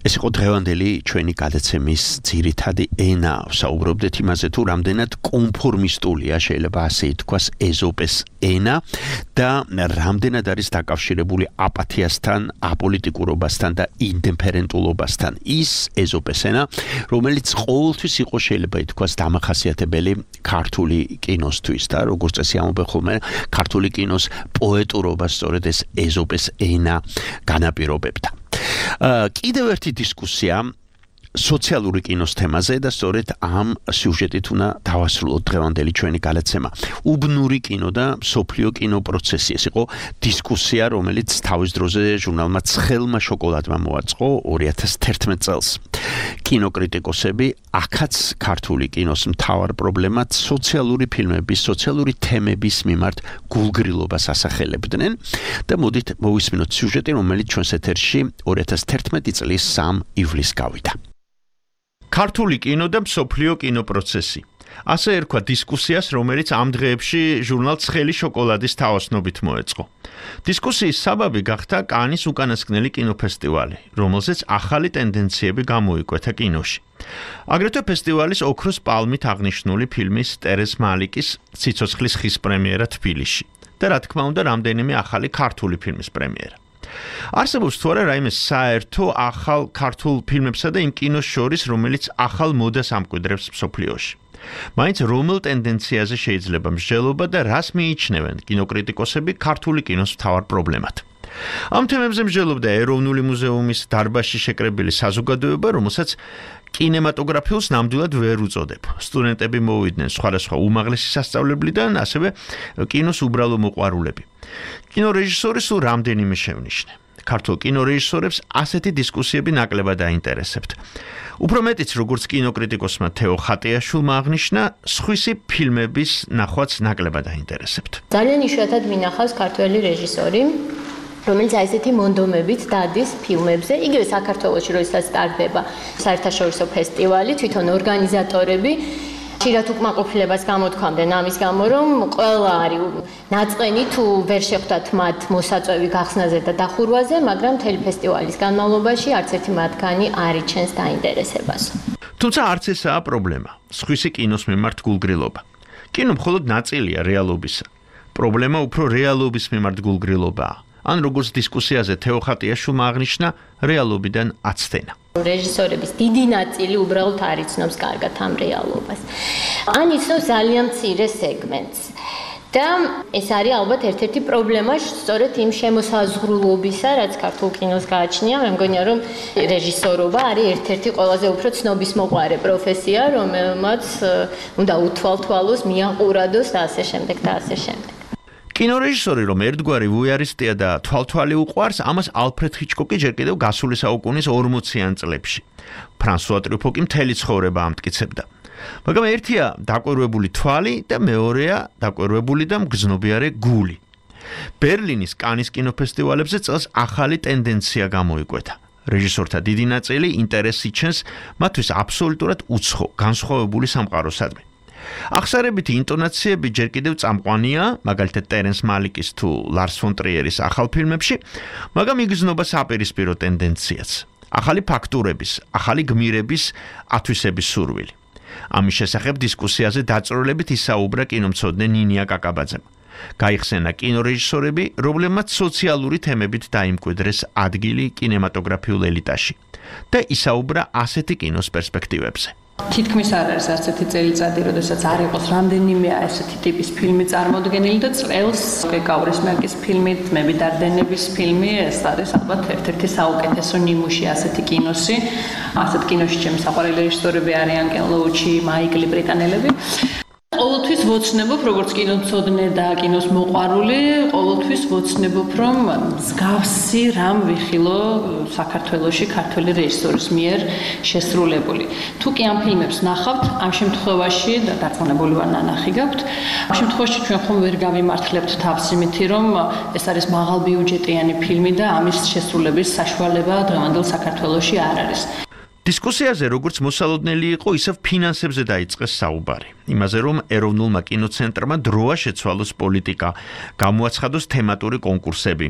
ეს იყო დღევანდელი ჩვენი გადაცემის ძირითადი ენა. საუბრობდით იმაზე, თუ რამდენად კონფორმისტულია, შეიძლება ასე ითქვას, ეზოპეს ენა და რამდენად არის დაკავშირებული აპათიასთან, აპოლიტიკურობასთან და ინდიფერენტულობასთან. ის ეზოპეს ენა, რომელიც ყოველთვის იყო შეიძლება ითქვას დამახასიათებელი ქართული კინოსთვის და როგორც წესი ამბობენ ხოლმე, ქართული კინოს პოეტურობას სწორედ ეს ეზოპეს ენა განაპირობებდა. კიდევ ერთი დისკუსია სოციალური კინოს თემაზე და სწორედ ამ სიუჟეტით უნდა დავასრულოთ დღევანდელი ჩვენი გადაცემა. უბნური კინო და მსოფლიო კინო პროცესი. ეს იყო დისკუსია, რომელიც თავის დროზე ჟურნალმა ცხელმა შოკოლადმა მოაწყო 2011 წელს. კინოკრიტიკოსები აქაც ქართული კინოს მთავარ პრობლემად სოციალური ფილმების, სოციალური თემების მიმართ გულგრილობას ასახელებდნენ და მოდით მოვისმინოთ სიუჟეტი, რომელიც ჩვენს ეთერში 2011 წლის 3 ივლისს გავიდა. ქართული კინო და მსოფლიო კინო პროცესი. ასე ერქვა დისკუსიას, რომელიც ამ დღეებში ჟურნალ ცხელი შოკოლადის თავოსნობით მოეწყო. დისკუსიის საბაბი გახდა კანის უკანასკნელი კინოფესტივალი, რომელზეც ახალი ტენდენციები გამოიკვეთა კინოში. აგრეთვე ფესტივალის ოქროს პალმით აღნიშნული ფილმის ტერეზ მალიკის ციცოცხლის ხის პრემიერა თბილისში და რა თქმა უნდა რამდენიმე ახალი ქართული ფილმის პრემიერა. არსებობს თუ არა რაიმე საერთო ახალ ქართულ ფილმებსა და იმ კინოს შორის, რომელიც ახალ მოდას ამკვიდრებს მსოფლიოში. მაინც რომელ ტენდენციაზე შეიძლება მსჯელობა და რას მიიჩნევენ კინოკრიტიკოსები ქართული კინოს მთავარ პრობლემად. ამ თემებზე მსჯელობდა ეროვნული მუზეუმის დარბაზში შეკრებილი საზოგადოება, რომელსაც კინემატოგრაფიულს ნამდვილად ვერ უწოდებ. სტუდენტები მოვიდნენ სხვადასხვა უმაღლესი სასწავლებლიდან, ასევე კინოს უბრალო მოყვარულები. კინორეჟისორი სულ რამდენიმე შევნიშნე. ქართულ კინორეჟისორებს ასეთი დისკუსიები ნაკლებად აინტერესებთ. უფრო მეტიც, როგორც კინოკრიტიკოსმა თეო ხატიაშვილმა აღნიშნა, სხვისი ფილმების ნახვაც ნაკლებად აინტერესებთ. ძალიან იშვიათად მინახავს ქართველი რეჟისორი, რომელიც ასეთი მონდომებით დადის ფილმებზე, იგივე საქართველოში როდესაც სტარტდება საერთაშორისო ფესტივალი, თვითონ ორგანიზატორები ხშირად უკმაყოფილებას გამოთქვამდნენ ამის გამო, რომ ყველა არის ნაწყენი თუ ვერ შეხვდათ მათ მოსაწვევი გახსნაზე და დახურვაზე, მაგრამ მთელი ფესტივალის განმავლობაში არც ერთი მათგანი არ იჩენს დაინტერესებას. თუმცა არც ესაა პრობლემა, სხვისი კინოს მიმართ გულგრილობა. კინო მხოლოდ ნაწილია რეალობისა. პრობლემა უფრო რეალობის მიმართ გულგრილობაა. ან როგორც დისკუსიაზე თეო ხატიაშვილმა აღნიშნა, რეალობიდან აცდენა. რეჟისორების დიდი ნაწილი უბრალოდ არ იცნობს კარგად ამ რეალობას. ან იცნობს ძალიან მცირე სეგმენტს. და ეს არის ალბათ ერთ-ერთი პრობლემა სწორედ იმ შემოსაზღვრულობისა, რაც ქართულ კინოს გააჩნია. მე მგონია, რომ რეჟისორობა არის ერთ-ერთი ყველაზე უფრო ცნობისმოყვარე პროფესია, რომელმაც უნდა უთვალთვალოს, მიაყურადოს და ასე შემდეგ და ასე შემდეგ. კინორეჟისორი რომ ერთგვარი ვუიარისტია და თვალთვალი უყვარს, ამას ალფრედ ჰიჩკოკი ჯერ კიდევ გასული საუკუნის 40-იან წლებში. ფრანსუა ტრუფო კი მთელი ცხოვრება ამტკიცებდა. მაგრამ ერთია დაკვირვებული თვალი და მეორეა დაკვირვებული და მგრძნობიარე გული. ბერლინის კანის კინოფესტივალებზე წელს ახალი ტენდენცია გამოიკვეთა. რეჟისორთა დიდი ნაწილი ინტერესს იჩენს მათთვის აბსოლუტურად უცხო, განსხვავებული სამყაროსადმი. ახსარებითი ინტონაციები ჯერ კიდევ წამყვანია, მაგალითად ტერენს მალიკის თუ ლარს ფონ ტრიერის ახალ ფილმებში, მაგრამ იგრძნობა საპირისპირო ტენდენციაც. ახალი ფაქტურების, ახალი გმირების ათვისების სურვილი. ამის შესახებ დისკუსიაზე დაწვრილებით ისაუბრა კინომცოდნე ნინია კაკაბაძემ. გაიხსენა კინორეჟისორები, რომლებმაც სოციალური თემებით დაიმკვიდრეს ადგილი კინემატოგრაფიულ ელიტაში და ისაუბრა ასეთი კინოს პერსპექტივებზე. თითქმის არ არის ასეთი წელიწადი, როდესაც არ იყოს რამდენიმე ასეთი ტიპის ფილმი წარმოდგენილი და წელს გეკავრის მერკის ფილმი, ძმები დარდენების ფილმი, ეს არის ალბათ ერთ-ერთი საუკეთესო ნიმუში ასეთი კინოსი. ასეთ კინოში ჩემი საყვარელი რეჟისორები არიან კენ ლოუჩი, მაიკლი, ბრიტანელები. ყოველთვის ვოცნებობ, როგორც კინომცოდნე და კინოს მოყვარული, ყოველთვის ვოცნებობ, რომ მსგავსი რამ ვიხილო საქართველოში ქართველი რეჟისორის მიერ შესრულებული. თუ კი ამ ფილმებს ნახავთ, ამ შემთხვევაში და დარწმუნებული ვარ ნანახი გაქვთ, ამ შემთხვევაში ჩვენ ხომ ვერ გავიმართლებთ თავს იმითი, რომ ეს არის მაღალბიუჯეტიანი ფილმი და ამის შესრულების საშუალება დღევანდელ საქართველოში არ არის. დისკუსიაზე როგორც მოსალოდნელი იყო, ისევ ფინანსებზე დაიწყეს საუბარი. იმაზე, რომ ეროვნულმა კინოცენტრმა დროა შეცვალოს პოლიტიკა, გამოაცხადოს თემატური კონკურსები.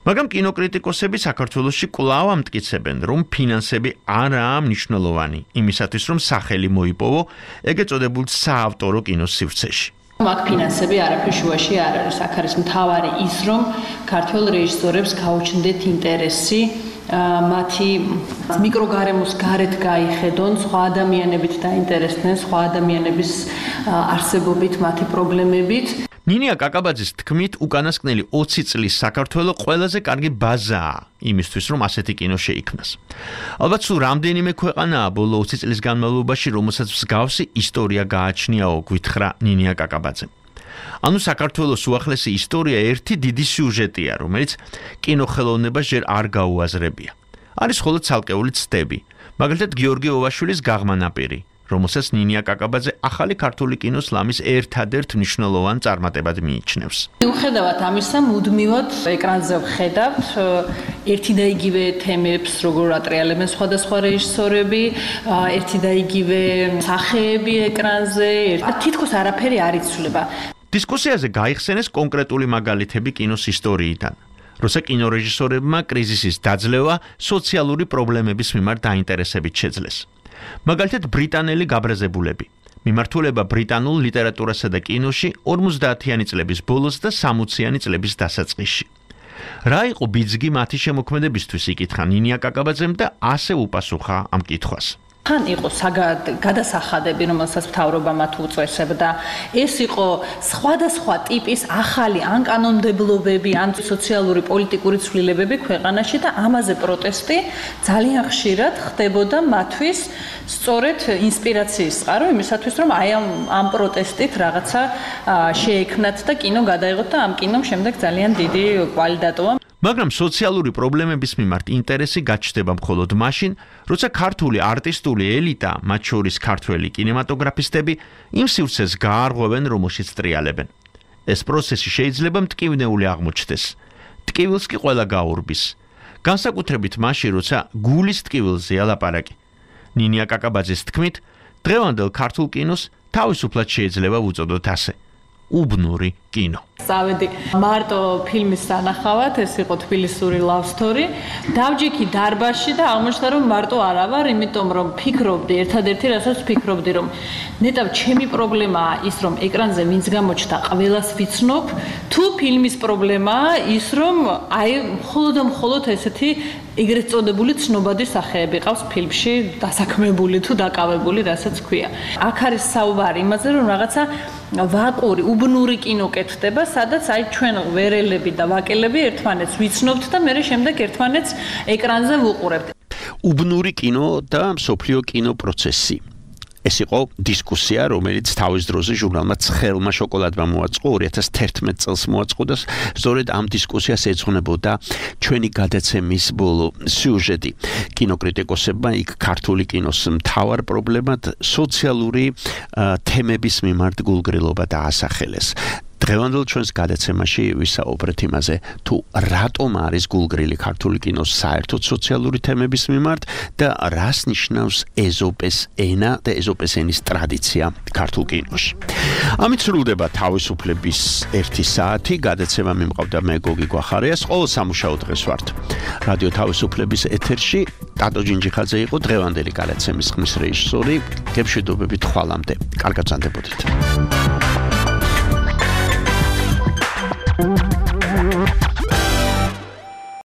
მაგრამ კინოკრიტიკოსები საქართველოში კვლავ ამტკიცებენ, რომ ფინანსები არაა მნიშვნელოვანი, იმისათვის, რომ სახელი მოიპოვო ეგრეთ წოდებულ საავტორო კინოს სივრცეში. მაგ ფინანსები არაფერ შუაში არ არის. აქ არის მთავარი ის, რომ ქართველ რეჟისორებს გაუჩნდეთ ინტერესი მათი მიკროგარემოს გარეთ გაიხედონ, სხვა ადამიანებით დაინტერესდნენ, სხვა ადამიანების არსებობით, მათი პრობლემებით. ნინია კაკაბაძის თქმით, უკანასკნელი 20 წლის საქართველო ყველაზე კარგი ბაზაა იმისთვის, რომ ასეთი კინო შეიქმნას. ალბათ სულ რამდენიმე ქვეყანაა ბოლო 20 წლის განმავლობაში, რომელსაც მსგავსი ისტორია გააჩნიაო, გვითხრა ნინია კაკაბაძემ. ანუ საქართველოს უახლესი ისტორია ერთი დიდი სიუჟეტია, რომელიც კინოხელოვნებას ჯერ არ გაუაზრებია. არის მხოლოდ ცალკეული ცდები, მაგალითად გიორგი ოვაშვილის გაღმანაპირი, რომელსაც ნინია კაკაბაძე ახალი ქართული კინოს ლამის ერთადერთ მნიშვნელოვან წარმატებად მიიჩნევს. მიუხედავად ამისა, მუდმივად ეკრანზე ვხედავთ ერთი და იგივე თემებს, როგორ ატრიალებენ სხვადასხვა რეჟისორები, ერთი და იგივე სახეები ეკრანზე, თითქოს არაფერი არ იცვლება. დისკუსიაზე გაიხსენეს კონკრეტული მაგალითები კინოს ისტორიიდან, როცა კინორეჟისორებმა კრიზისის დაძლევა სოციალური პრობლემების მიმართ დაინტერესებით შეძლეს. მაგალითად ბრიტანელი გაბრაზებულები. მიმართულება ბრიტანულ ლიტერატურასა და კინოში 50-იანი წლების ბოლოს და 60-იანი წლების დასაწყისში. რა იყო ბიძგი მათი შემოქმედებისთვის, იკითხა ნინია კაკაბაძემ და ასე უპასუხა ამ კითხვას. თან იყო გადასახადები, რომელსაც მთავრობა მათ უწესებდა. ეს იყო სხვადასხვა ტიპის ახალი ან კანონმდებლობები, ან სოციალური პოლიტიკური ცვლილებები ქვეყანაში და ამაზე პროტესტი ძალიან ხშირად ხდებოდა მათთვის სწორედ ინსპირაციის წყარო იმისათვის, რომ აი ამ პროტესტით რაღაცა შეექმნათ და კინო გადაიღოთ და ამ კინომ შემდეგ ძალიან დიდი კვალი დატოვა. მაგრამ სოციალური პრობლემების მიმართ ინტერესი გაჩნდება მხოლოდ მაშინ, როცა ქართული არტისტული ელიტა, მათ შორის ქართველი კინემატოგრაფისტები, იმ სივრცეს გაარღვევენ, რომელშიც ტრიალებენ. ეს პროცესი შეიძლება მტკივნეული აღმოჩნდეს. ტკივილს კი ყველა გაურბის. განსაკუთრებით მაშინ, როცა გულის ტკივილზეა ლაპარაკი. ნინია კაკაბაძის თქმით, დღევანდელ ქართულ კინოს თავისუფლად შეიძლება ვუწოდოთ ასე. უბნური კინო. წავედი მარტო ფილმის სანახავად, ეს იყო თბილისური love story. დავჯექი დარბაზში და აღმოჩნდა, რომ მარტო არა ვარ, იმიტომ რომ ფიქრობდი, ერთადერთი რასაც ფიქრობდი, რომ ნეტავ ჩემი პრობლემაა ის, რომ ეკრანზე ვინც გამოჩნდა, ყველას ვიცნობ, თუ ფილმის პრობლემაა ის, რომ აი მხოლოდ ესეთი ეგრეთ წოდებული ცნობადი სახეები ყავს ფილმში, დასაქმებული თუ დაკავებული, რასაც ქვია. აქ არის საუბარი იმაზე, რომ რაღაცა ვაკური, უბნური კინო კეთდება, სადაც აი ჩვენ ვერელები და ვაკელები ერთმანეთს ვიცნობთ და მე შემდეგ ერთმანეთს ეკრანზე ვუყურებთ. უბნური კინო და მსოფლიო კინო პროცესი. ეს იყო დისკუსია, რომელიც თავის დროზე ჟურნალმა ცხელმა შოკოლადმა მოაწყო, 2011 წელს მოაწყო და სწორედ ამ დისკუსიას ეძღვნებოდა ჩვენი გადაცემის ბოლო სიუჟეტი. კინოკრიტიკოსებმა იქ ქართული კინოს მთავარ პრობლემად სოციალური თემების მიმართ გულგრილობა დაასახელეს. დღევანდელ ჩვენს გადაცემაში ვისაუბრეთ იმაზე, თუ რატომ არის გულგრილი ქართული კინოს საერთოდ სოციალური თემების მიმართ და რას ნიშნავს ეზოპეს ენა და ეზოპეს ენის ტრადიცია ქართულ კინოში. ამით სრულდება თავისუფლების 1 საათი, გადაცემა მიმყავდა მე გოგი გვახარიას, ყოველ სამუშაო დღეს ვართ. რადიო თავისუფლების ეთერში ტატო ჯინჯიხაძე იყო დღევანდელი გადაცემის ხმის რეჟისორი. გემშვიდობებით ხვალამდე. კარგად გრძანდებოდეთ.